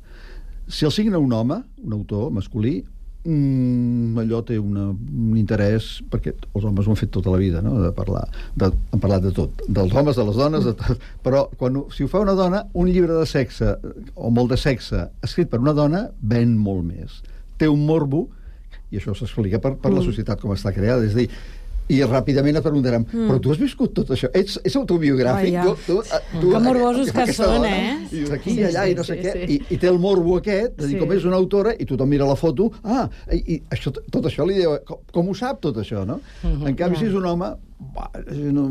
Si el signa un home, un autor masculí, mmm, allò té una, un interès, perquè els homes ho han fet tota la vida, no?, de parlar, de, han parlat de tot, dels homes, de les dones, de tot. Però quan, si ho fa una dona, un llibre de sexe, o molt de sexe, escrit per una dona, ven molt més. Té un morbo, i això s'explica per, per la societat com està creada. És a dir, i ràpidament et preguntarem, mm. però tu has viscut tot això? Ets, és autobiogràfic? Oh, ja. tu, tu, tu, que morbosos que són, dona, eh? I aquí sí, i allà, sí, i no sé sí, què. Sí. I, I té el morbo aquest, de dir, sí. com és una autora, i tothom mira la foto, ah, i, i això, tot això li diu, com, com ho sap tot això, no? Mm-hmm. En canvi, yeah. si és un home, bah, no,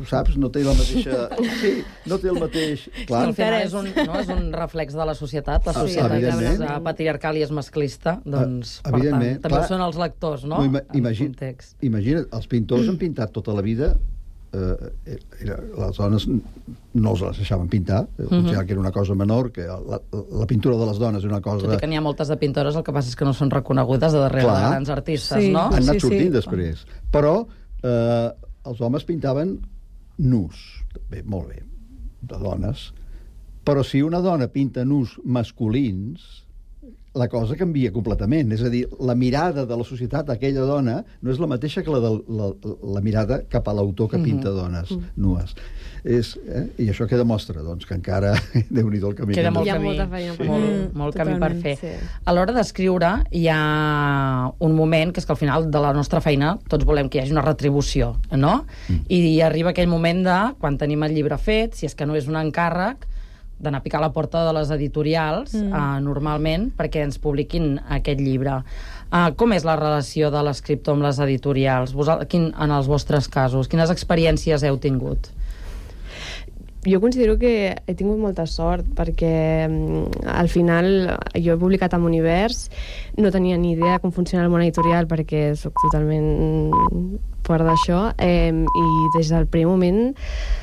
saps, no té la mateixa... Sí, no té el mateix... Clar. Al final és un, no, és un reflex de la societat, la societat sí, que és patriarcal i és masclista, doncs, uh, per tant, també clar, són els lectors, no? no imagina, imagina't, els pintors mm. han pintat tota la vida, eh, les dones no els les deixaven pintar, mm-hmm. que era una cosa menor, que la, la pintura de les dones és una cosa... Tot i que n'hi ha moltes de pintores, el que passa és que no són reconegudes de darrere clar, de grans artistes, sí, no? Han anat sí, sortint sí. després. Però eh, els homes pintaven nus, bé, molt bé, de dones, però si una dona pinta nus masculins, la cosa canvia completament. És a dir, la mirada de la societat d'aquella dona no és la mateixa que la, de, la, la mirada cap a l'autor que pinta dones mm-hmm. nues. És, eh? I això què demostra? Doncs que encara, Déu-n'hi-do el camí. Queda molt hi ha camí, molta feina per molt, fer. molt camí per fer. Sí. A l'hora d'escriure hi ha un moment que és que al final de la nostra feina tots volem que hi hagi una retribució, no? Mm. I arriba aquell moment de, quan tenim el llibre fet, si és que no és un encàrrec, d'anar a picar a la porta de les editorials, mm. uh, normalment, perquè ens publiquin aquest llibre. Uh, com és la relació de l'escriptor amb les editorials? Vos, quin, en els vostres casos, quines experiències heu tingut? Jo considero que he tingut molta sort perquè al final jo he publicat amb Univers, no tenia ni idea de com funciona el món editorial perquè sóc totalment fora d'això, eh, i des del primer moment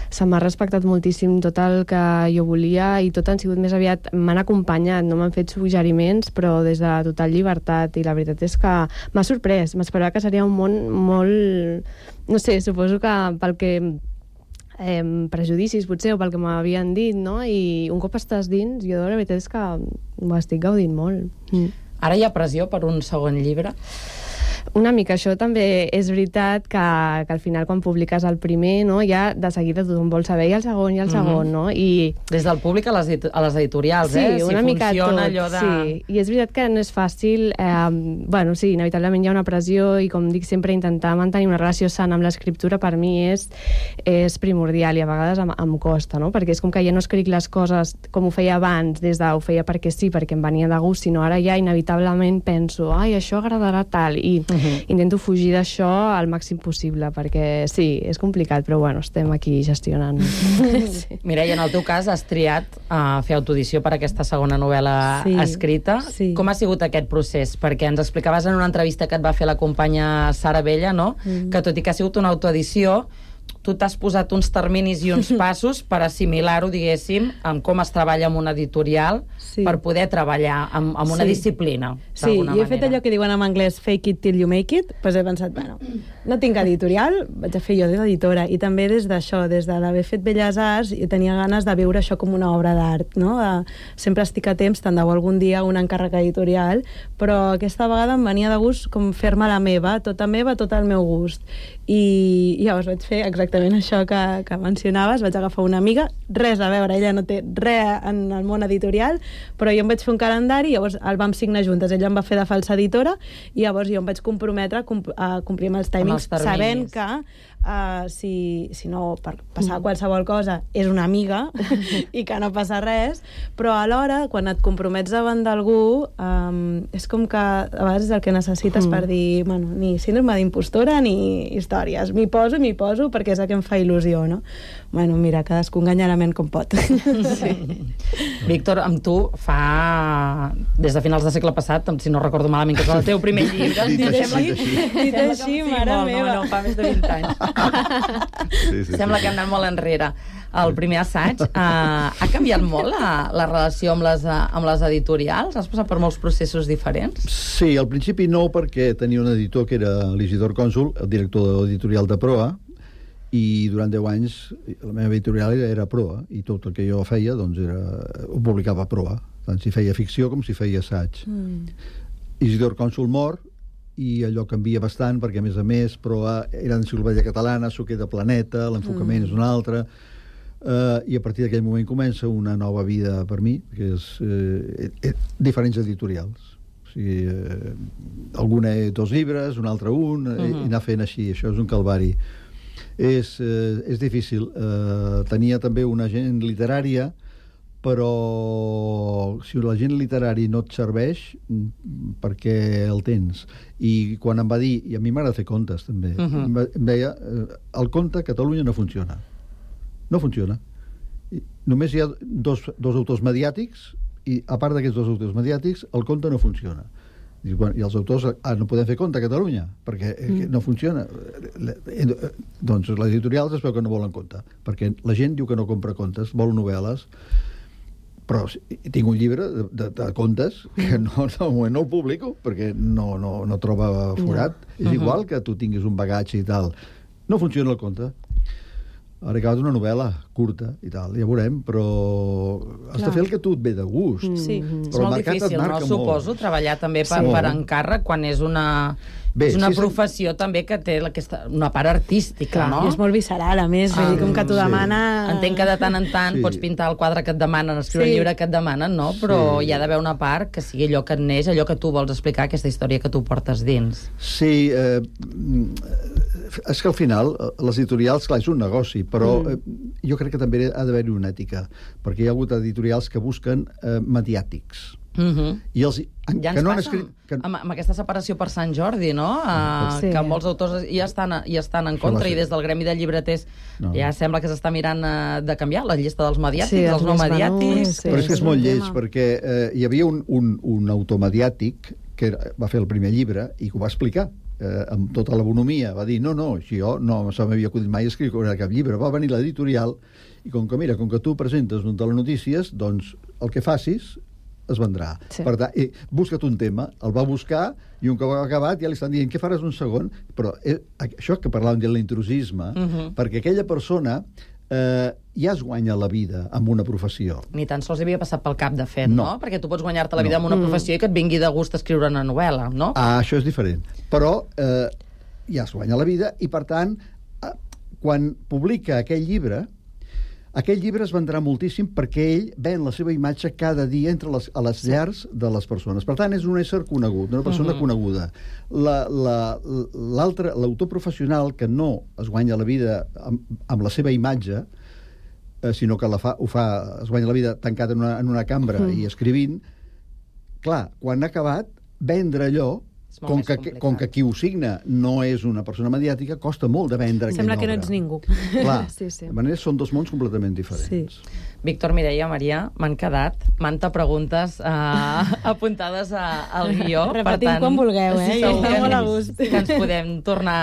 se m'ha respectat moltíssim tot el que jo volia i tot han sigut més aviat, m'han acompanyat, no m'han fet suggeriments, però des de la total llibertat, i la veritat és que m'ha sorprès, m'esperava que seria un món molt, no sé, suposo que pel que Eh, prejudicis potser o pel que m'havien dit, no? I un cop estàs dins, jo de veritat és que ho estic gaudint molt. Mm. Ara hi ha pressió per un segon llibre? Una mica, això també és veritat que, que al final quan publiques el primer, no, ja de seguida tothom vol saber i el segon i el segon, mm-hmm. no? I des del públic a les, a les editorials, sí, eh? Si una mica funciona tot, allò de... sí. I és veritat que no és fàcil, eh, bueno, sí, inevitablement hi ha una pressió i com dic sempre intentar mantenir una relació sana amb l'escriptura per mi és, és primordial i a vegades em, em costa, no? Perquè és com que ja no escric les coses com ho feia abans, des de ho feia perquè sí, perquè em venia de gust, sinó ara ja inevitablement penso, ai, això agradarà tal, i Uh-huh. intento fugir d'això al màxim possible, perquè sí, és complicat, però bueno, estem aquí gestionant. Sí. Mireia, en el teu cas has triat uh, fer autoedició per aquesta segona novel·la sí, escrita. Sí. Com ha sigut aquest procés? Perquè ens explicaves en una entrevista que et va fer la companya Sara Bella, no? Mm. Que tot i que ha sigut una autoedició, tu t'has posat uns terminis i uns passos per assimilar-ho, diguéssim, amb com es treballa amb una editorial, sí. per poder treballar amb, amb una sí. disciplina, sí, i he manera. fet allò que diuen en anglès fake it till you make it, doncs he pensat, bueno, no tinc editorial, vaig a fer jo d'editora, i també des d'això, des de l'haver fet Belles Arts, i tenia ganes de veure això com una obra d'art, no? De, sempre estic a temps, tant de bo algun dia un encàrrec editorial, però aquesta vegada em venia de gust com fer-me la meva, tota meva, tot el meu gust, i llavors vaig fer exactament això que, que mencionaves, vaig agafar una amiga, res a veure, ella no té res en el món editorial, però jo em vaig fer un calendari, llavors el vam signar juntes, ella em va fer de falsa editora, i llavors jo em vaig comprometre a, comp a complir amb els timings, amb els sabent que uh, si, si no, per passar qualsevol cosa, és una amiga i que no passa res, però alhora, quan et compromets davant d'algú, um, és com que a vegades és el que necessites mm. per dir, bueno, ni síndrome d'impostora ni històries, m'hi poso, m'hi poso perquè és el que em fa il·lusió, no? Bueno, mira, cadascú enganya la ment com pot. Sí. Víctor, amb tu fa... des de finals del segle passat, si no recordo malament, que és el teu primer llibre. Dit així, dit així, mare meva. No, no, fa més de vint anys. Sí, sí, Sembla sí. que hem anat molt enrere. El primer assaig, uh, ha canviat molt la, la relació amb les, uh, amb les editorials? Has passat per molts processos diferents? Sí, al principi no, perquè tenia un editor que era l'Isidor Cònsul, el director editorial de Proa, i durant deu anys la meva editorial era, era Proa, i tot el que jo feia doncs era, ho publicava a Proa, tant si feia ficció com si feia assaig. Mm. Isidor Cònsul mor, i allò canvia bastant, perquè a més a més Proa era d'enciclopèdia catalana, s'ho queda Planeta, l'enfocament mm. és un altre, uh, i a partir d'aquell moment comença una nova vida per mi, que és eh, eh, diferents editorials. O sigui, eh, alguna dos llibres, un altre un, uh -huh. i anar fent així, això és un calvari. És, eh, és difícil. Eh, tenia també una agent literària, però si l'agent literari no et serveix, perquè el tens. I quan em va dir, i a mi m'agrada fer contes també, uh -huh. em, va, em deia, eh, el conte a Catalunya no funciona. No funciona. I només hi ha dos, dos autors mediàtics, i a part d'aquests dos autors mediàtics, el conte no funciona. I, bueno, i els autors, ah, no podem fer conte a Catalunya, perquè mm. no funciona. Doncs les editorials es veu que no volen conte, perquè la gent diu que no compra contes, vol novel·les, però tinc un llibre de, de, de contes que no, no, no el publico, perquè no, no, no troba forat. No. És igual que tu tinguis un bagatge i tal. No funciona el conte. Ara he acabat una novel·la curta i tal, ja veurem, però has Clar. de fer el que tu et ve de gust. Mm. Sí. Però és molt difícil, no? Suposo, molt. treballar també per, sí. per encàrrec quan és una... Bé, és una sí, professió sí. també que té aquesta, una part artística, Clar, no? I és molt visceral, a més, ah, com que t'ho sí. demana... Entenc que de tant en tant sí. pots pintar el quadre que et demanen, escriure sí. el llibre que et demanen, no? Però sí. hi ha d'haver una part que sigui allò que et neix, allò que tu vols explicar, aquesta història que tu portes dins. Sí, eh, és que al final, les editorials, clar, és un negoci, però mm. eh, jo crec que també ha d'haver-hi una ètica, perquè hi ha hagut editorials que busquen eh, mediàtics. Mm-hmm. I els, en, ja ens que no han passa escrit, que... amb, amb aquesta separació per Sant Jordi, no? Uh, sí. Que molts autors ja estan, ja estan en contra, i des del gremi de llibreters no. ja sembla que s'està mirant uh, de canviar la llista dels mediàtics, sí, els no mediàtics. Sí, però és que és molt lleig, perquè eh, hi havia un, un, un autor mediàtic que va fer el primer llibre i que ho va explicar eh, amb tota la bonomia. Va dir, no, no, jo no se m'havia acudit mai escriure cap llibre. Va venir l'editorial i com que, mira, com que tu presentes un telenotícies, doncs el que facis es vendrà. Sí. Per tant, eh, busca't un tema, el va buscar i un cop ha acabat ja li estan dient què faràs un segon, però eh, això que parlàvem de l'intrusisme, uh-huh. perquè aquella persona eh, ja es guanya la vida amb una professió. Ni tan sols havia passat pel cap, de fet, no? no? Perquè tu pots guanyar-te la vida no. amb una professió i que et vingui de gust escriure una novel·la, no? Ah, això és diferent. Però eh, ja es guanya la vida i, per tant, eh, quan publica aquell llibre, aquell llibre es vendrà moltíssim perquè ell ven la seva imatge cada dia entre les, a les llars de les persones. Per tant, és un ésser conegut, una persona uh-huh. coneguda. La, la, l'altre, l'autor professional que no es guanya la vida amb, amb la seva imatge, eh, sinó que la fa, ho fa, es guanya la vida tancat en una, en una cambra uh-huh. i escrivint, clar, quan ha acabat, vendre allò, com que, com que qui ho signa no és una persona mediàtica, costa molt de vendre aquella obra. Sembla que no ets ningú. Clar, sí, sí. De manera són dos mons completament diferents. Sí. Víctor, Mireia, Maria, m'han quedat manta preguntes uh, apuntades a, al guió. Repetim tant, quan vulgueu, eh? Segur que, molt a gust. Que ens podem tornar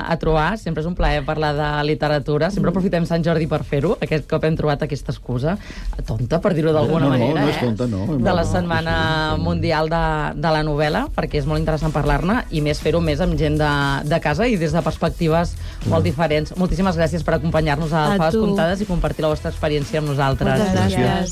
a trobar. Sempre és un plaer parlar de literatura. Sempre aprofitem Sant Jordi per fer-ho. Aquest cop hem trobat aquesta excusa tonta, per dir-ho d'alguna no, no, manera, no, no és tonta, no. eh? De la Setmana Mundial de, de la Novel·la, perquè és molt interessant parlar-ne, i més fer-ho més amb gent de, de casa i des de perspectives molt diferents. Moltíssimes gràcies per acompanyar-nos a, a Faves Comptades i compartir la vostra experiència amb nosaltres. Moltes gràcies.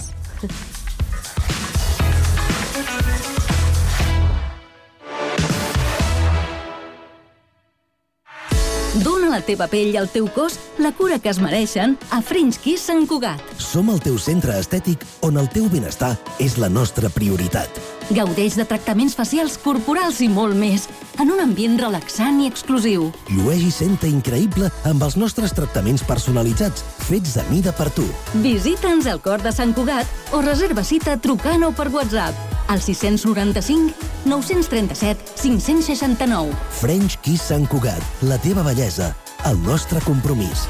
Dóna a la teva pell i al teu cos la cura que es mereixen a French Kiss Sant Cugat. Som el teu centre estètic on el teu benestar és la nostra prioritat. Gaudeix de tractaments facials, corporals i molt més, en un ambient relaxant i exclusiu. Llueix i senta increïble amb els nostres tractaments personalitzats, fets a mida per tu. Visita'ns al cor de Sant Cugat o reserva cita trucant o per WhatsApp al sis nou cinc, nou tres set, cinc sis nou. French Kiss Sant Cugat, la teva bellesa, el nostre compromís.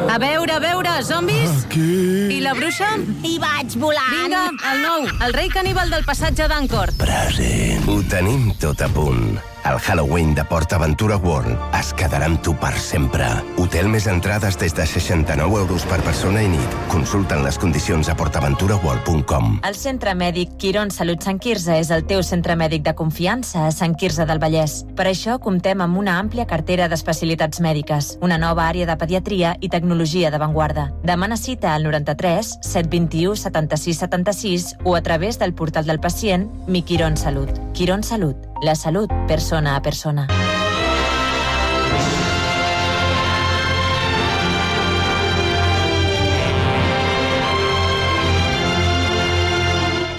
A veure, a veure, zombis? Aquí. I la bruixa? Hi vaig volant. Vinga, el nou, el rei caníbal del passatge d'Ancor. Present. Ho tenim tot a punt. El Halloween de PortAventura World es quedarà amb tu per sempre. Hotel més entrades des de seixanta-nou euros per persona i nit. Consulta'n les condicions a portaventura world punt com. El Centre Mèdic Quirón Salut Sant Quirze és el teu centre mèdic de confiança a Sant Quirze del Vallès. Per això comptem amb una àmplia cartera d'especialitats mèdiques, una nova àrea de pediatria i tecnologia d'avantguarda. Demana cita al noranta-tres set vint-i-u setanta-sis setanta-sis o a través del portal del pacient Mi Quirón Salut. Quirón Salut, la salut persona a persona.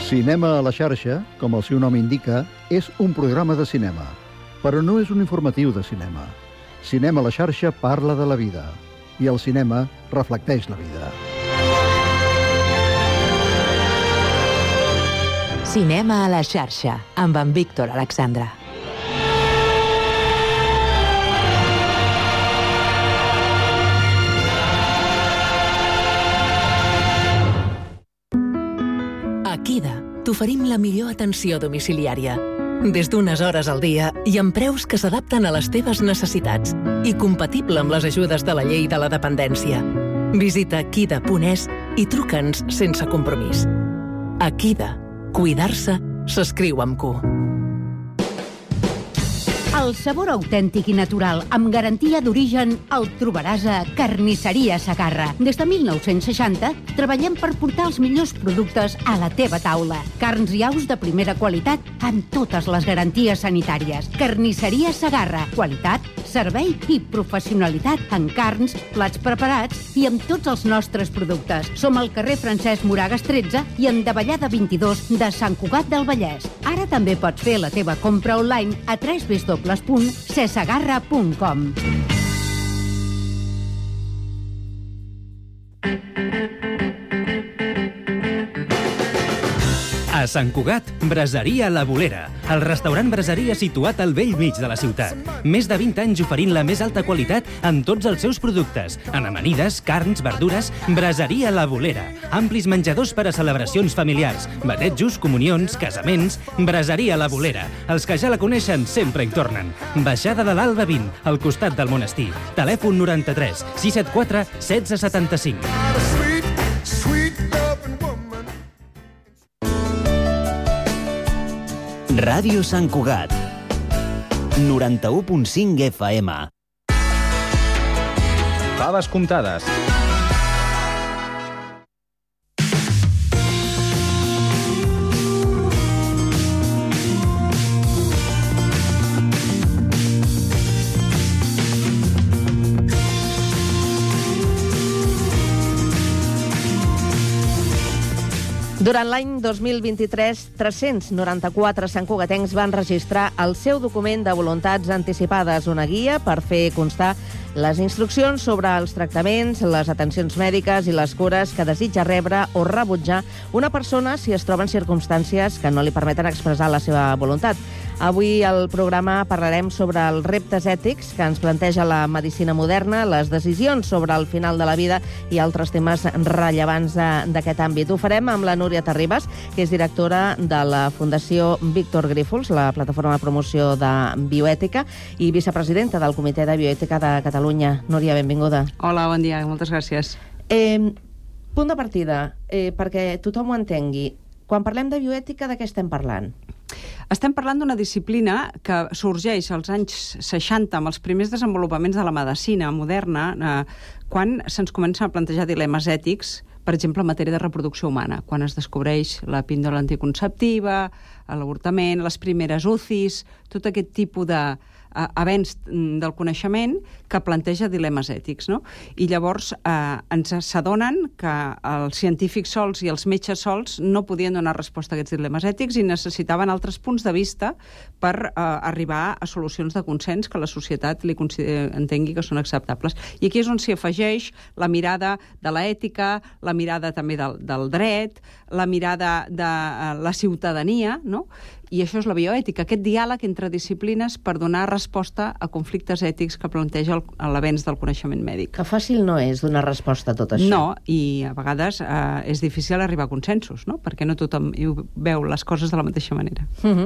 Cinema a la xarxa, com el seu nom indica, és un programa de cinema, però no és un informatiu de cinema. Cinema a la xarxa parla de la vida, i el cinema reflecteix la vida. Cinema a la xarxa, amb en Víctor Alexandra. A Kida t'oferim la millor atenció domiciliària. Des d'unes hores al dia i amb preus que s'adapten a les teves necessitats i compatible amb les ajudes de la llei de la dependència. Visita kida punt es i truca'ns sense compromís. A Kida, cuidar-se s'escriu amb Q. El sabor autèntic i natural, amb garantia d'origen, el trobaràs a Carnisseria Segarra. Des de mil nou-cents seixanta, treballem per portar els millors productes a la teva taula. Carns i aus de primera qualitat, amb totes les garanties sanitàries. Carnisseria Segarra. Qualitat, servei i professionalitat en carns, plats preparats i amb tots els nostres productes. Som al carrer Francesc Moragas tretze i en Davallada vint-i-dos de Sant Cugat del Vallès. Ara també pots fer la teva compra online a w w w punt cesagarra punt com. A Sant Cugat, Braseria La Bolera, el restaurant braseria situat al vell mig de la ciutat. Més de vint anys oferint la més alta qualitat en tots els seus productes. En amanides, carns, verdures, Braseria La Bolera. Amplis menjadors per a celebracions familiars, batejos, comunions, casaments. Braseria La Bolera. Els que ja la coneixen sempre hi tornen. Baixada de l'Alba vint, al costat del monestir. Telèfon noranta-tres sis set quatre setze setanta-cinc. Ràdio Sant Cugat, noranta-u punt cinc F M. Faves comptades. Durant l'any dos mil vint-i-tres, tres-cents noranta-quatre santcugatencs van registrar el seu document de voluntats anticipades, una guia per fer constar les instruccions sobre els tractaments, les atencions mèdiques i les cures que desitja rebre o rebutjar una persona si es troba en circumstàncies que no li permeten expressar la seva voluntat. Avui al programa parlarem sobre els reptes ètics que ens planteja la medicina moderna, les decisions sobre el final de la vida i altres temes rellevants d'aquest àmbit. Ho farem amb la Núria Terribas, que és directora de la Fundació Víctor Grífols, la plataforma de promoció de bioètica, i vicepresidenta del Comitè de Bioètica de Catalunya. Núria, benvinguda. Hola, bon dia, moltes gràcies. Eh, punt de partida, eh, perquè tothom ho entengui. Quan parlem de bioètica, de què estem parlant? Estem parlant d'una disciplina que sorgeix als anys seixanta amb els primers desenvolupaments de la medicina moderna, eh, quan se'ns comencen a plantejar dilemes ètics, per exemple, en matèria de reproducció humana, quan es descobreix la píndola anticonceptiva, l'avortament, les primeres U C Is, tot aquest tipus de eh, avenç del coneixement que planteja dilemes ètics, no? I llavors eh, ens s'adonen que els científics sols i els metges sols no podien donar resposta a aquests dilemes ètics i necessitaven altres punts de vista per eh, arribar a solucions de consens que la societat li entengui que són acceptables. I aquí és on s'hi afegeix la mirada de l'ètica, la mirada també del, del dret, la mirada de eh, la ciutadania, no? I això és la bioètica, aquest diàleg entre disciplines per donar resposta a conflictes ètics que planteja l'avenç del coneixement mèdic. Que fàcil no és donar resposta a tot això. No, i a vegades eh, és difícil arribar a consensos, no? Perquè no tothom veu les coses de la mateixa manera. Uh-huh.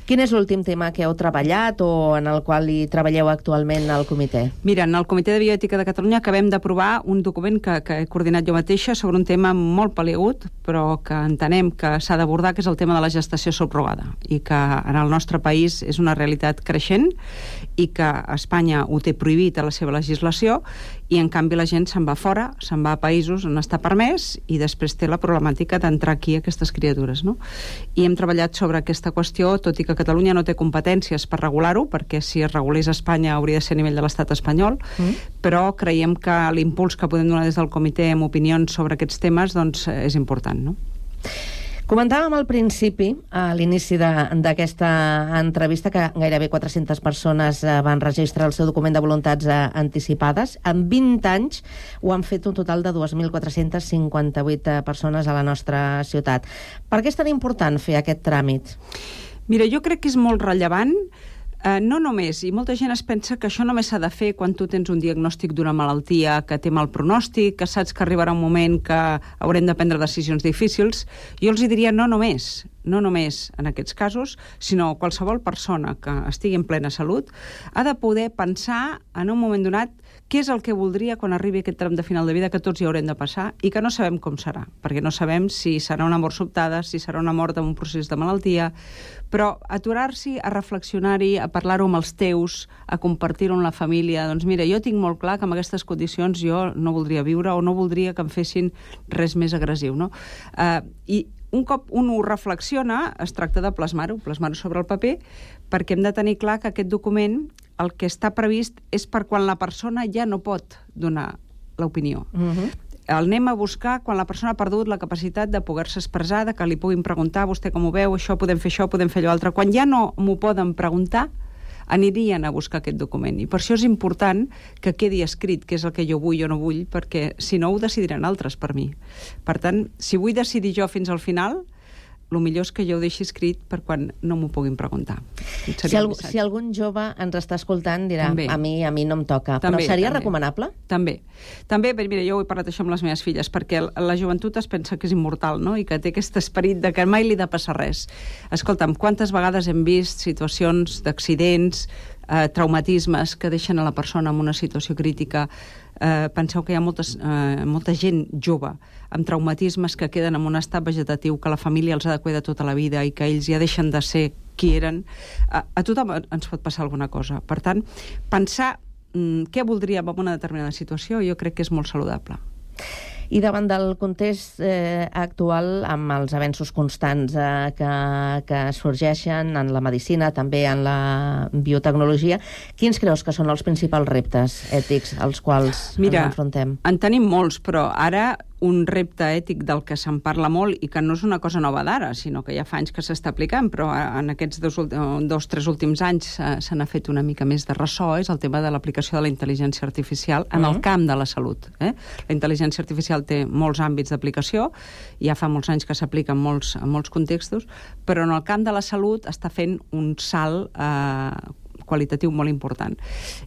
Quin és l'últim tema que heu treballat o en el qual hi treballeu actualment al comitè? Mira, en el Comitè de Bioètica de Catalunya acabem d'aprovar un document que, que he coordinat jo mateixa sobre un tema molt peliagut, però que entenem que s'ha d'abordar, que és el tema de la gestació subrogada, i que en el nostre país és una realitat creixent i que Espanya ho té prohibit a la seva legislació i en canvi la gent se'n va fora, se'n va a països on està permès i després té la problemàtica d'entrar aquí aquestes criatures, no? I hem treballat sobre aquesta qüestió, tot i que Catalunya no té competències per regular-ho, perquè si es regulés a Espanya hauria de ser a nivell de l'estat espanyol, mm. però creiem que l'impuls que podem donar des del comitè amb opinions sobre aquests temes doncs, és important, no? Comentàvem al principi, a l'inici d'aquesta entrevista, que gairebé quatre-centes persones van registrar el seu document de voluntats anticipades. En vint anys ho han fet un total de dos mil quatre-cents cinquanta-vuit persones a la nostra ciutat. Per què és tan important fer aquest tràmit? Mira, jo crec que és molt rellevant. Uh, no només, i molta gent es pensa que això només s'ha de fer quan tu tens un diagnòstic d'una malaltia que té mal pronòstic, que saps que arribarà un moment que haurem de prendre decisions difícils. Jo els hi diria no només, no només en aquests casos, sinó qualsevol persona que estigui en plena salut ha de poder pensar en un moment donat què és el que voldria quan arribi aquest tram de final de vida que tots hi haurem de passar i que no sabem com serà, perquè no sabem si serà una mort sobtada, si serà una mort en un procés de malaltia, però aturar-s'hi a reflexionar-hi, a parlar-ho amb els teus, a compartir-ho amb la família. Doncs mira, jo tinc molt clar que amb aquestes condicions jo no voldria viure o no voldria que em fessin res més agressiu, no? Uh, I un cop un ho reflexiona, es tracta de plasmar-ho, plasmar-ho sobre el paper, perquè hem de tenir clar que aquest document el que està previst és per quan la persona ja no pot donar l'opinió. Uh-huh. El anem a buscar quan la persona ha perdut la capacitat de poder-se expressar, de que li puguin preguntar, vostè com ho veu, això, podem fer això, podem fer allò altre. Quan ja no m'ho poden preguntar, anirien a buscar aquest document. I per això és important que quedi escrit què és el que jo vull o no vull, perquè si no ho decidiran altres per mi. Per tant, si vull decidir jo fins al final, el millor és que jo ho deixi escrit per quan no m'ho puguin preguntar. Si, algú, si algun jove ens està escoltant dirà, també. a mi a mi no em toca, també, però seria també. recomanable? També. També, mira, jo ho he parlat això amb les meves filles, perquè la joventut es pensa que és immortal, no?, i que té aquest esperit de que mai li ha de passar res. Escolta'm, quantes vegades hem vist situacions d'accidents, eh, traumatismes que deixen a la persona en una situació crítica. Eh, penseu que hi ha moltes, eh, molta gent jove amb traumatismes que queden en un estat vegetatiu, que la família els ha de cuidar tota la vida i que ells ja deixen de ser qui eren. A, a tothom ens pot passar alguna cosa. Per tant, pensar mm, què voldríem en una determinada situació jo crec que és molt saludable. I davant del context eh, actual, amb els avenços constants eh, que, que sorgeixen en la medicina, també en la biotecnologia, quins creus que són els principals reptes ètics als quals Mira, ens enfrontem? En tenim molts, però ara un repte ètic del que se'n parla molt i que no és una cosa nova d'ara, sinó que ja fa anys que s'està aplicant, però en aquests dos, dos tres últims anys eh, se n'ha fet una mica més de ressò, és el tema de l'aplicació de la intel·ligència artificial en uh-huh. el camp de la salut. Eh? La intel·ligència artificial té molts àmbits d'aplicació, ja fa molts anys que s'aplica en molts, en molts contextos, però en el camp de la salut està fent un salt eh, qualitatiu molt important.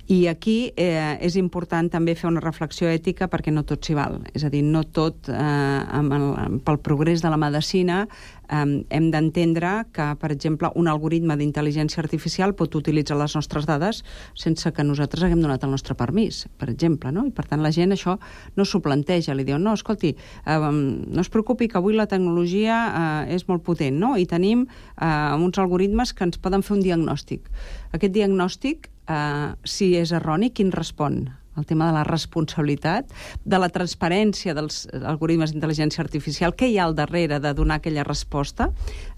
I aquí eh, és important també fer una reflexió ètica perquè no tot s'hi val. És a dir, no tot, eh, amb el, pel progrés de la medicina, eh, hem d'entendre que, per exemple, un algoritme d'intel·ligència artificial pot utilitzar les nostres dades sense que nosaltres haguem donat el nostre permís, per exemple, no? I per tant la gent això no s'ho planteja, li diu, no, escolti, eh, no es preocupi que avui la tecnologia eh, és molt potent, no? I tenim eh, uns algoritmes que ens poden fer un diagnòstic. Aquest diagnòstic, eh, si és erroni, quin respon? El tema de la responsabilitat, de la transparència dels algoritmes d'intel·ligència artificial, què hi ha al darrere de donar aquella resposta,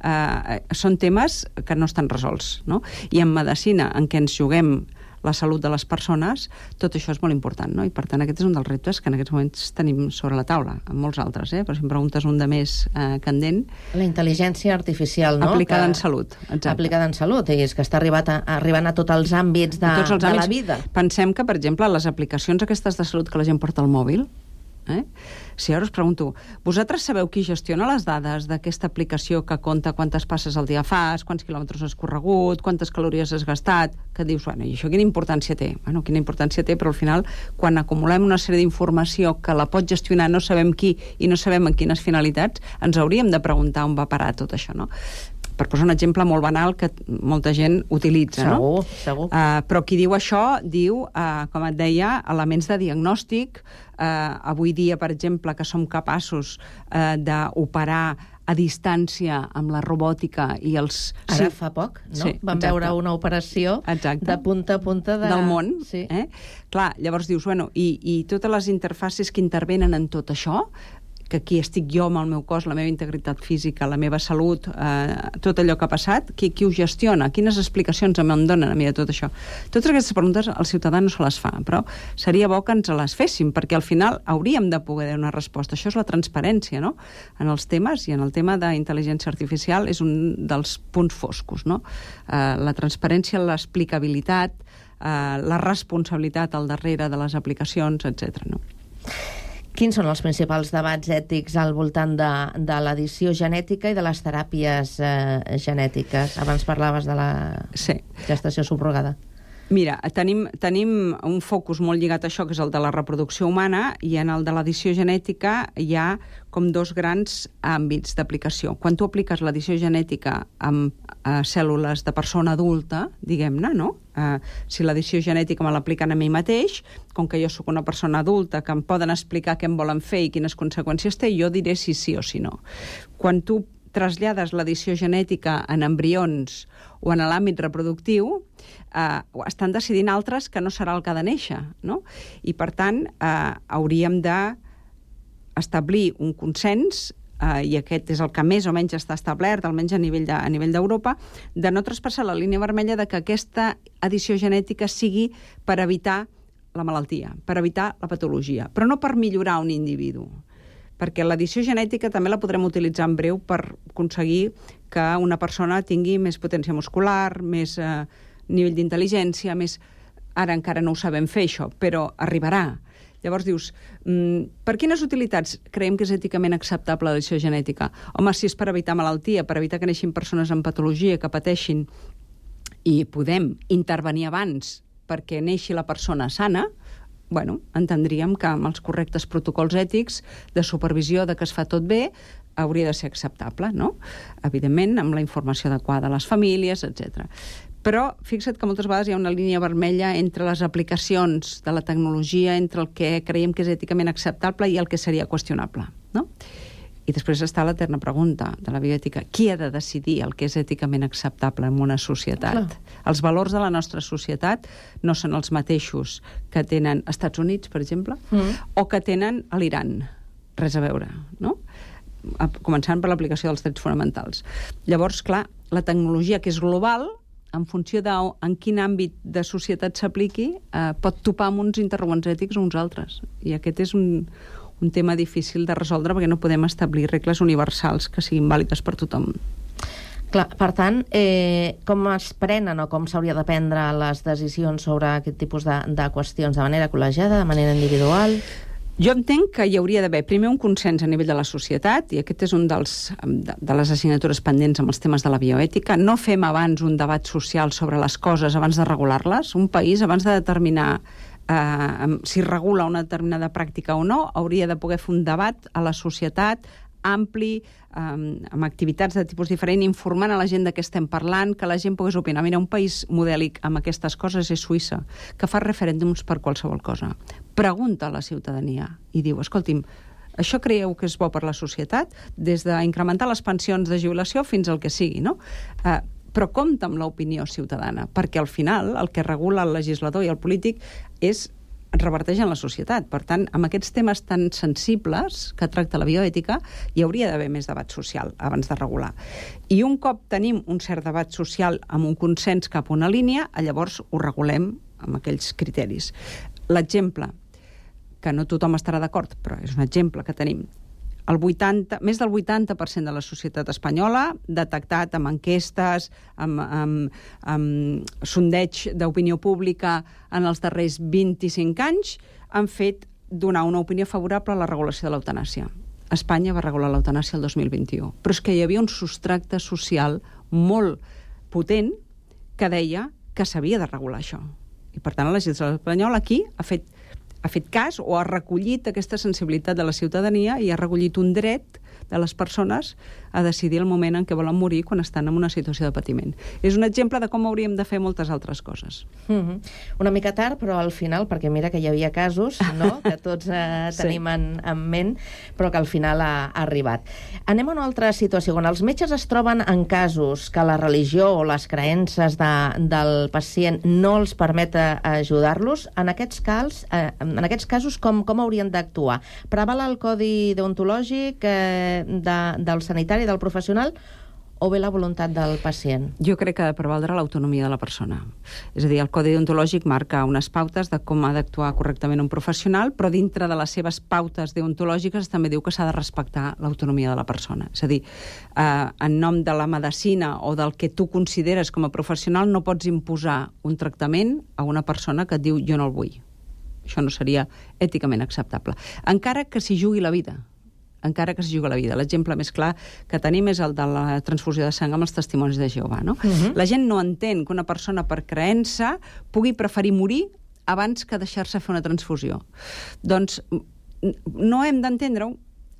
eh, són temes que no estan resolts, no? I en medicina, en què ens juguem la salut de les persones, tot això és molt important, no? I per tant aquest és un dels reptes que en aquests moments tenim sobre la taula, amb molts altres, eh? Però si em preguntes un de més eh, candent... La intel·ligència artificial, no? Aplicada que... en salut, exacte. Aplicada en salut, i és que està arribat a, arribant a tots els àmbits de, tots els de àmbits. la vida. Pensem que, per exemple, les aplicacions aquestes de salut que la gent porta al mòbil, eh? Si ara us pregunto, vosaltres sabeu qui gestiona les dades d'aquesta aplicació que compta quantes passes al dia fas, quants quilòmetres has corregut, quantes calories has gastat, que dius, bueno, i això quina importància té? Bueno, quina importància té, però al final, quan acumulem una sèrie d'informació que la pot gestionar no sabem qui i no sabem en quines finalitats, ens hauríem de preguntar on va parar tot això, no? Per posar un exemple molt banal que molta gent utilitza, segur, no? Segur, uh, però qui diu això diu, uh, com et deia, elements de diagnòstic. Uh, avui dia, per exemple, que som capaços uh, d'operar a distància amb la robòtica i els... Ara sí. fa poc, no? Sí, Vam exacte. veure una operació exacte. de punta a punta de... del món. Sí. Eh? Clar, llavors dius, bueno, i, i totes les interfaces que intervenen en tot això, que aquí estic jo amb el meu cos, la meva integritat física, la meva salut, eh, tot allò que ha passat, qui, qui ho gestiona? Quines explicacions em donen a mi de tot això? Totes aquestes preguntes el ciutadà no se les fa, però seria bo que ens les féssim, perquè al final hauríem de poder donar resposta. Això és la transparència, no?, en els temes, i en el tema d'intel·ligència artificial és un dels punts foscos, no? Eh, la transparència, l'explicabilitat, eh, la responsabilitat al darrere de les aplicacions, etcètera, no? Quins són els principals debats ètics al voltant de, de l'edició genètica i de les teràpies eh, genètiques? Abans parlaves de la sí. gestació subrogada. Mira, tenim, tenim un focus molt lligat a això, que és el de la reproducció humana, i en el de l'edició genètica hi ha com dos grans àmbits d'aplicació. Quan tu apliques l'edició genètica amb eh, cèl·lules de persona adulta, diguem-ne, no? Eh, si l'edició genètica me l'apliquen a mi mateix, com que jo sóc una persona adulta que em poden explicar què em volen fer i quines conseqüències té, jo diré si sí o si no. Quan tu trasllades l'edició genètica en embrions o en l'àmbit reproductiu, eh, estan decidint altres que no serà el que ha de néixer, no? I, per tant, eh, hauríem d'establir un consens eh, i aquest és el que més o menys està establert, almenys a nivell de, a nivell d'Europa, de no traspassar la línia vermella de que aquesta edició genètica sigui per evitar la malaltia, per evitar la patologia, però no per millorar un individu. Perquè l'edició genètica també la podrem utilitzar en breu per aconseguir que una persona tingui més potència muscular, més eh, nivell d'intel·ligència, més... Ara encara no ho sabem fer, això, però arribarà. Llavors dius, mm, per quines utilitats creiem que és èticament acceptable l'edició genètica? Home, si és per evitar malaltia, per evitar que neixin persones amb patologia, que pateixin, i podem intervenir abans perquè neixi la persona sana, bueno, entendríem que amb els correctes protocols ètics de supervisió de que es fa tot bé hauria de ser acceptable, no? Evidentment, amb la informació adequada a les famílies, etcètera. Però fixa't que moltes vegades hi ha una línia vermella entre les aplicacions de la tecnologia, entre el que creiem que és èticament acceptable i el que seria qüestionable, no? I després està l'eterna pregunta de la bioètica. Qui ha de decidir el que és èticament acceptable en una societat? Clar. Els valors de la nostra societat no són els mateixos que tenen Estats Units, per exemple, mm. o que tenen a l'Iran. Res a veure, no? Començant per l'aplicació dels drets fonamentals. Llavors, clar, la tecnologia que és global, en funció de en quin àmbit de societat s'apliqui, eh, pot topar amb uns interrogants ètics o uns altres. I aquest és un, un tema difícil de resoldre perquè no podem establir regles universals que siguin vàlides per tothom. Clar, per tant, eh, com es prenen o com s'hauria de prendre les decisions sobre aquest tipus de, de qüestions? De manera col·legiada, de manera individual? Jo entenc que hi hauria d'haver primer un consens a nivell de la societat, i aquest és un dels, de, de les assignatures pendents amb els temes de la bioètica. No fem abans un debat social sobre les coses abans de regular-les. Un país, abans de determinar eh, si regula una determinada pràctica o no, hauria de poder fer un debat a la societat ampli, eh, amb activitats de tipus diferent, informant a la gent de què estem parlant, que la gent pogués opinar. Mira, un país modèlic amb aquestes coses és Suïssa, que fa referèndums per qualsevol cosa. Pregunta a la ciutadania i diu, escolti'm, això creieu que és bo per la societat? Des d'incrementar les pensions de jubilació fins al que sigui, no? Eh, però compta amb l'opinió ciutadana, perquè al final el que regula el legislador i el polític és reverteix en la societat. Per tant, amb aquests temes tan sensibles que tracta la bioètica, hi hauria d'haver més debat social abans de regular. I un cop tenim un cert debat social amb un consens cap a una línia, llavors ho regulem amb aquells criteris. L'exemple, que no tothom estarà d'acord, però és un exemple que tenim. El vuitanta, més del vuitanta per cent de la societat espanyola, detectat amb enquestes, amb, amb, amb sondeig d'opinió pública en els darrers vint-i-cinc anys, han fet donar una opinió favorable a la regulació de l'eutanàsia. Espanya va regular l'eutanàsia el dos mil vint-i-u, però és que hi havia un substracte social molt potent que deia que s'havia de regular això. I per tant, la legislació espanyola aquí ha fet ha fet cas o ha recollit aquesta sensibilitat de la ciutadania i ha recollit un dret de les persones a decidir el moment en què volen morir quan estan en una situació de patiment. És un exemple de com hauríem de fer moltes altres coses. Mm-hmm. Una mica tard, però al final, perquè mira que hi havia casos, no?, que tots eh, tenim sí. en, en ment, però que al final ha, ha arribat. Anem a una altra situació. Quan els metges es troben en casos que la religió o les creences de, del pacient no els permet ajudar-los, en aquests, cals, eh, en aquests casos com, com haurien d'actuar? Preval el codi deontològic eh, de, del sanitari, del professional, o bé la voluntat del pacient? Jo crec que ha de prevaldre l'autonomia de la persona. És a dir, el codi deontològic marca unes pautes de com ha d'actuar correctament un professional, però dintre de les seves pautes deontològiques també diu que s'ha de respectar l'autonomia de la persona. És a dir, eh, en nom de la medicina o del que tu consideres com a professional no pots imposar un tractament a una persona que et diu jo no el vull. Això no seria èticament acceptable. Encara que s'hi jugui la vida. encara que s'hi juga la vida. L'exemple més clar que tenim és el de la transfusió de sang amb els testimonis de Jehovà. No? Uh-huh. La gent no entén que una persona per creença pugui preferir morir abans que deixar-se fer una transfusió. Doncs no hem d'entendre-ho,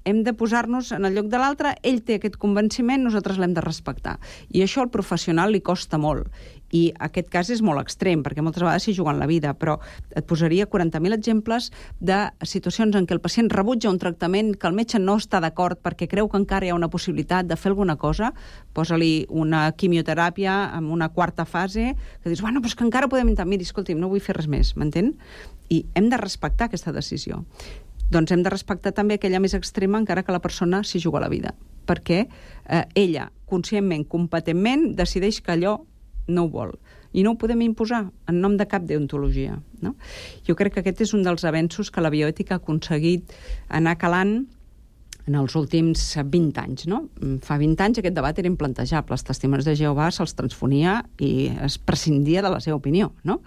hem de posar-nos en el lloc de l'altre, ell té aquest convenciment, nosaltres l'hem de respectar. I això al professional li costa molt. I aquest cas és molt extrem, perquè moltes vegades s'hi juguen la vida, però et posaria quaranta mil exemples de situacions en què el pacient rebutja un tractament que el metge no està d'acord perquè creu que encara hi ha una possibilitat de fer alguna cosa, posa-li una quimioteràpia amb una quarta fase, que dius, bueno, però és que encara podem intentar, miri, escolti'm, no vull fer res més, m'entén? I hem de respectar aquesta decisió. Doncs hem de respectar també aquella més extrema encara que la persona s'hi juga la vida, perquè eh, ella, conscientment, competentment, decideix que allò no ho vol. I no ho podem imposar en nom de cap deontologia. No? Jo crec que aquest és un dels avenços que la bioètica ha aconseguit anar calant en els últims vint anys. No? Fa vint anys aquest debat era implantejable. Els testimonis de Jehovà se'ls transfonia i es prescindia de la seva opinió. No?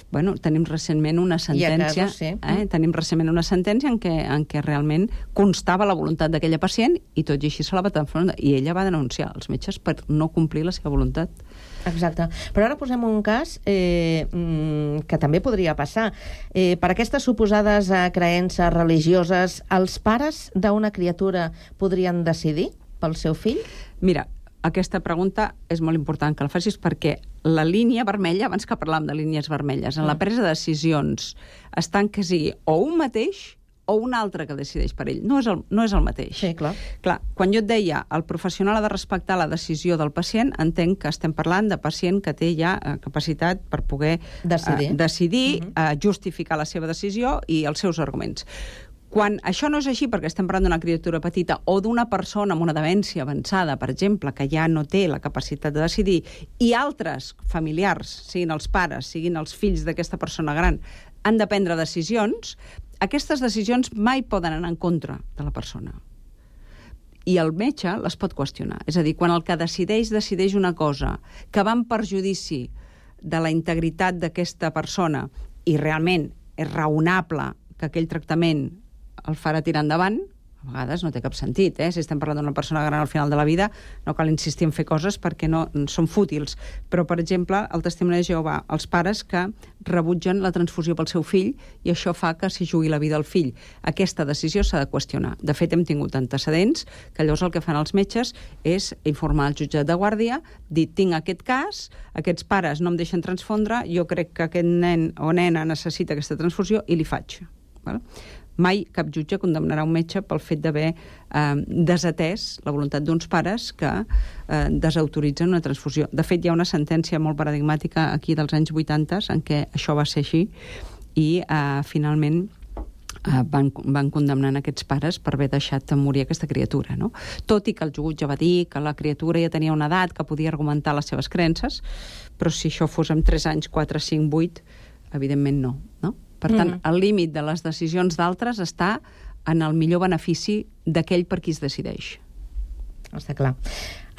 Bueno, tenim recentment una sentència, casos, sí. eh? tenim recentment una sentència en què, en què realment constava la voluntat d'aquella pacient i tot i així se la va transformar. I ella va denunciar els metges per no complir la seva voluntat. Exacte. Però ara posem un cas eh, que també podria passar. Eh, per aquestes suposades eh, creences religioses, els pares d'una criatura podrien decidir pel seu fill? Mira, aquesta pregunta és molt important que la facis perquè la línia vermella, abans que parlàvem de línies vermelles, en la presa de decisions estan que sigui o un mateix o un altre que decideix per ell. No és el, no és el mateix. Sí, clar. Clar, quan jo et deia el professional ha de respectar la decisió del pacient, entenc que estem parlant de pacient que té ja eh, capacitat per poder decidir, eh, decidir uh-huh. eh, justificar la seva decisió i els seus arguments. Quan això no és així, perquè estem parlant d'una criatura petita o d'una persona amb una demència avançada, per exemple, que ja no té la capacitat de decidir, i altres familiars, siguin els pares, siguin els fills d'aquesta persona gran, han de prendre decisions, aquestes decisions mai poden anar en contra de la persona. I el metge les pot qüestionar. És a dir, quan el que decideix, decideix una cosa que va en perjudici de la integritat d'aquesta persona i realment és raonable que aquell tractament el farà tirar endavant, a vegades no té cap sentit, eh? Si estem parlant d'una persona gran al final de la vida, no cal insistir en fer coses perquè no són fútils. Però, per exemple, el testimoni de Jehovà, els pares que rebutgen la transfusió pel seu fill i això fa que s'hi jugui la vida al fill. Aquesta decisió s'ha de qüestionar. De fet, hem tingut antecedents que llavors el que fan els metges és informar el jutjat de guàrdia, dir, tinc aquest cas, aquests pares no em deixen transfondre, jo crec que aquest nen o nena necessita aquesta transfusió i li faig. Val? Mai cap jutge condemnarà un metge pel fet d'haver eh, desatès la voluntat d'uns pares que eh, desautoritzen una transfusió. De fet, hi ha una sentència molt paradigmàtica aquí dels anys vuitanta en què això va ser així i eh, finalment eh, van, van condemnar aquests pares per haver deixat morir aquesta criatura. No? Tot i que el jutge va dir que la criatura ja tenia una edat que podia argumentar les seves creences, però si això fos en tres anys, quatre, cinc, vuit, evidentment no. no? Per tant, mm. el límit de les decisions d'altres està en el millor benefici d'aquell per qui es decideix. Està clar.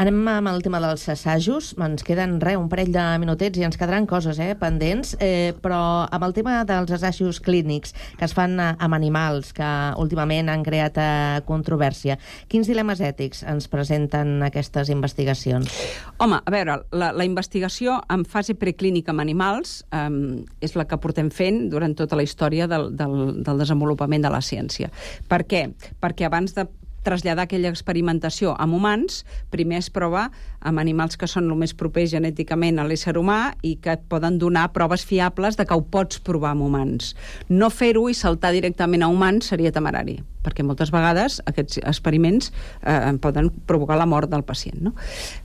Anem amb el tema dels assajos. Ens queden, res, un parell de minutets i ens quedaran coses eh, pendents, eh, però amb el tema dels assajos clínics que es fan amb animals, que últimament han creat eh, controvèrsia, quins dilemes ètics ens presenten aquestes investigacions? Home, a veure, la, la investigació en fase preclínica amb animals eh, és la que portem fent durant tota la història del, del, del desenvolupament de la ciència. Per què? Perquè abans de traslladar aquella experimentació amb humans, primer es prova amb animals que són el més propers genèticament a l'ésser humà i que et poden donar proves fiables de que ho pots provar amb humans. No fer-ho i saltar directament a humans seria temerari, perquè moltes vegades aquests experiments eh, poden provocar la mort del pacient. No?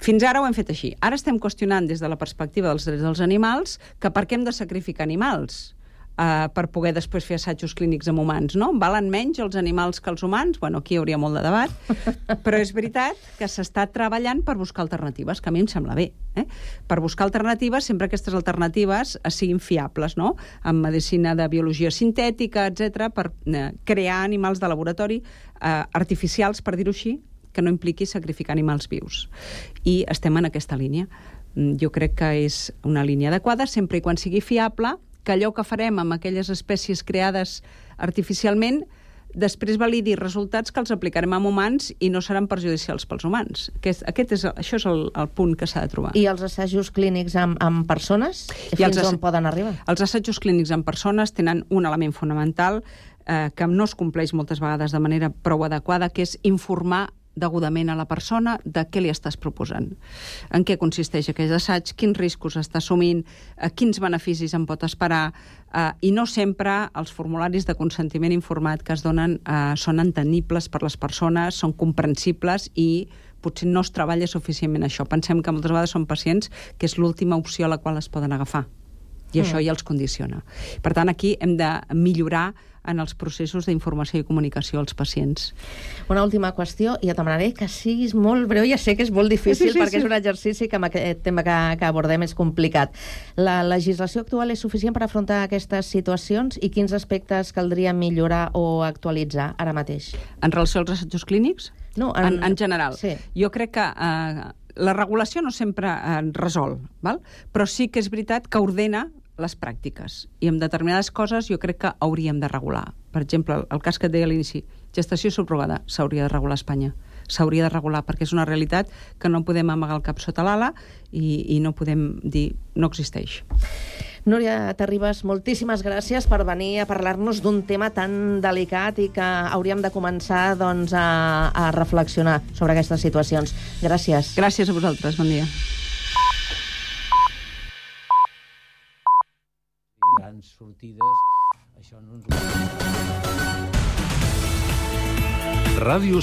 Fins ara ho hem fet així. Ara estem qüestionant des de la perspectiva dels drets dels animals que per què hem de sacrificar animals? Uh, per poder després fer assajos clínics amb humans, no? Valen menys els animals que els humans? Bueno, aquí hi hauria molt de debat, però és veritat que s'està treballant per buscar alternatives, que a mi em sembla bé. Eh? Per buscar alternatives, sempre aquestes alternatives siguin fiables, no? En medicina de biologia sintètica, etcètera, per eh, crear animals de laboratori eh, artificials, per dir-ho així, que no impliqui sacrificar animals vius. I estem en aquesta línia. Jo crec que és una línia adequada, sempre i quan sigui fiable, que allò que farem amb aquelles espècies creades artificialment després validi resultats que els aplicarem amb humans i no seran perjudicials pels humans. Aquest, aquest és, això és el, el punt que s'ha de trobar. I els assajos clínics amb, amb persones? Fins els on poden arribar? Els assajos clínics amb persones tenen un element fonamental eh, que no es compleix moltes vegades de manera prou adequada, que és informar degudament a la persona de què li estàs proposant. En què consisteix aquell assaig, quins riscos està assumint, eh, quins beneficis en pot esperar, eh, i no sempre els formularis de consentiment informat que es donen eh, són entendibles per les persones, són comprensibles i potser no es treballa suficientment això. Pensem que moltes vegades són pacients que és l'última opció a la qual es poden agafar. I mm. això ja els condiciona. Per tant, aquí hem de millorar en els processos d'informació i comunicació als pacients. Una última qüestió, i et demanaré que siguis molt breu, ja sé que és molt difícil, sí, sí, perquè sí. és un exercici que amb aquest tema que, que abordem és complicat. La legislació actual és suficient per afrontar aquestes situacions i quins aspectes caldria millorar o actualitzar ara mateix? En relació als assajos clínics? No, en, en, en general. Sí. Jo crec que eh, la regulació no sempre eh, resol, val? Però sí que és veritat que ordena les pràctiques. I en determinades coses jo crec que hauríem de regular. Per exemple, el cas que et deia a l'inici, gestació subrogada, s'hauria de regular a Espanya. S'hauria de regular, perquè és una realitat que no podem amagar el cap sota l'ala i, i no podem dir no existeix. Núria Terribas, moltíssimes gràcies per venir a parlar-nos d'un tema tan delicat i que hauríem de començar doncs, a, a reflexionar sobre aquestes situacions. Gràcies. Gràcies a vosaltres, bon dia. Grans sortides, això no ens ho... Ràdio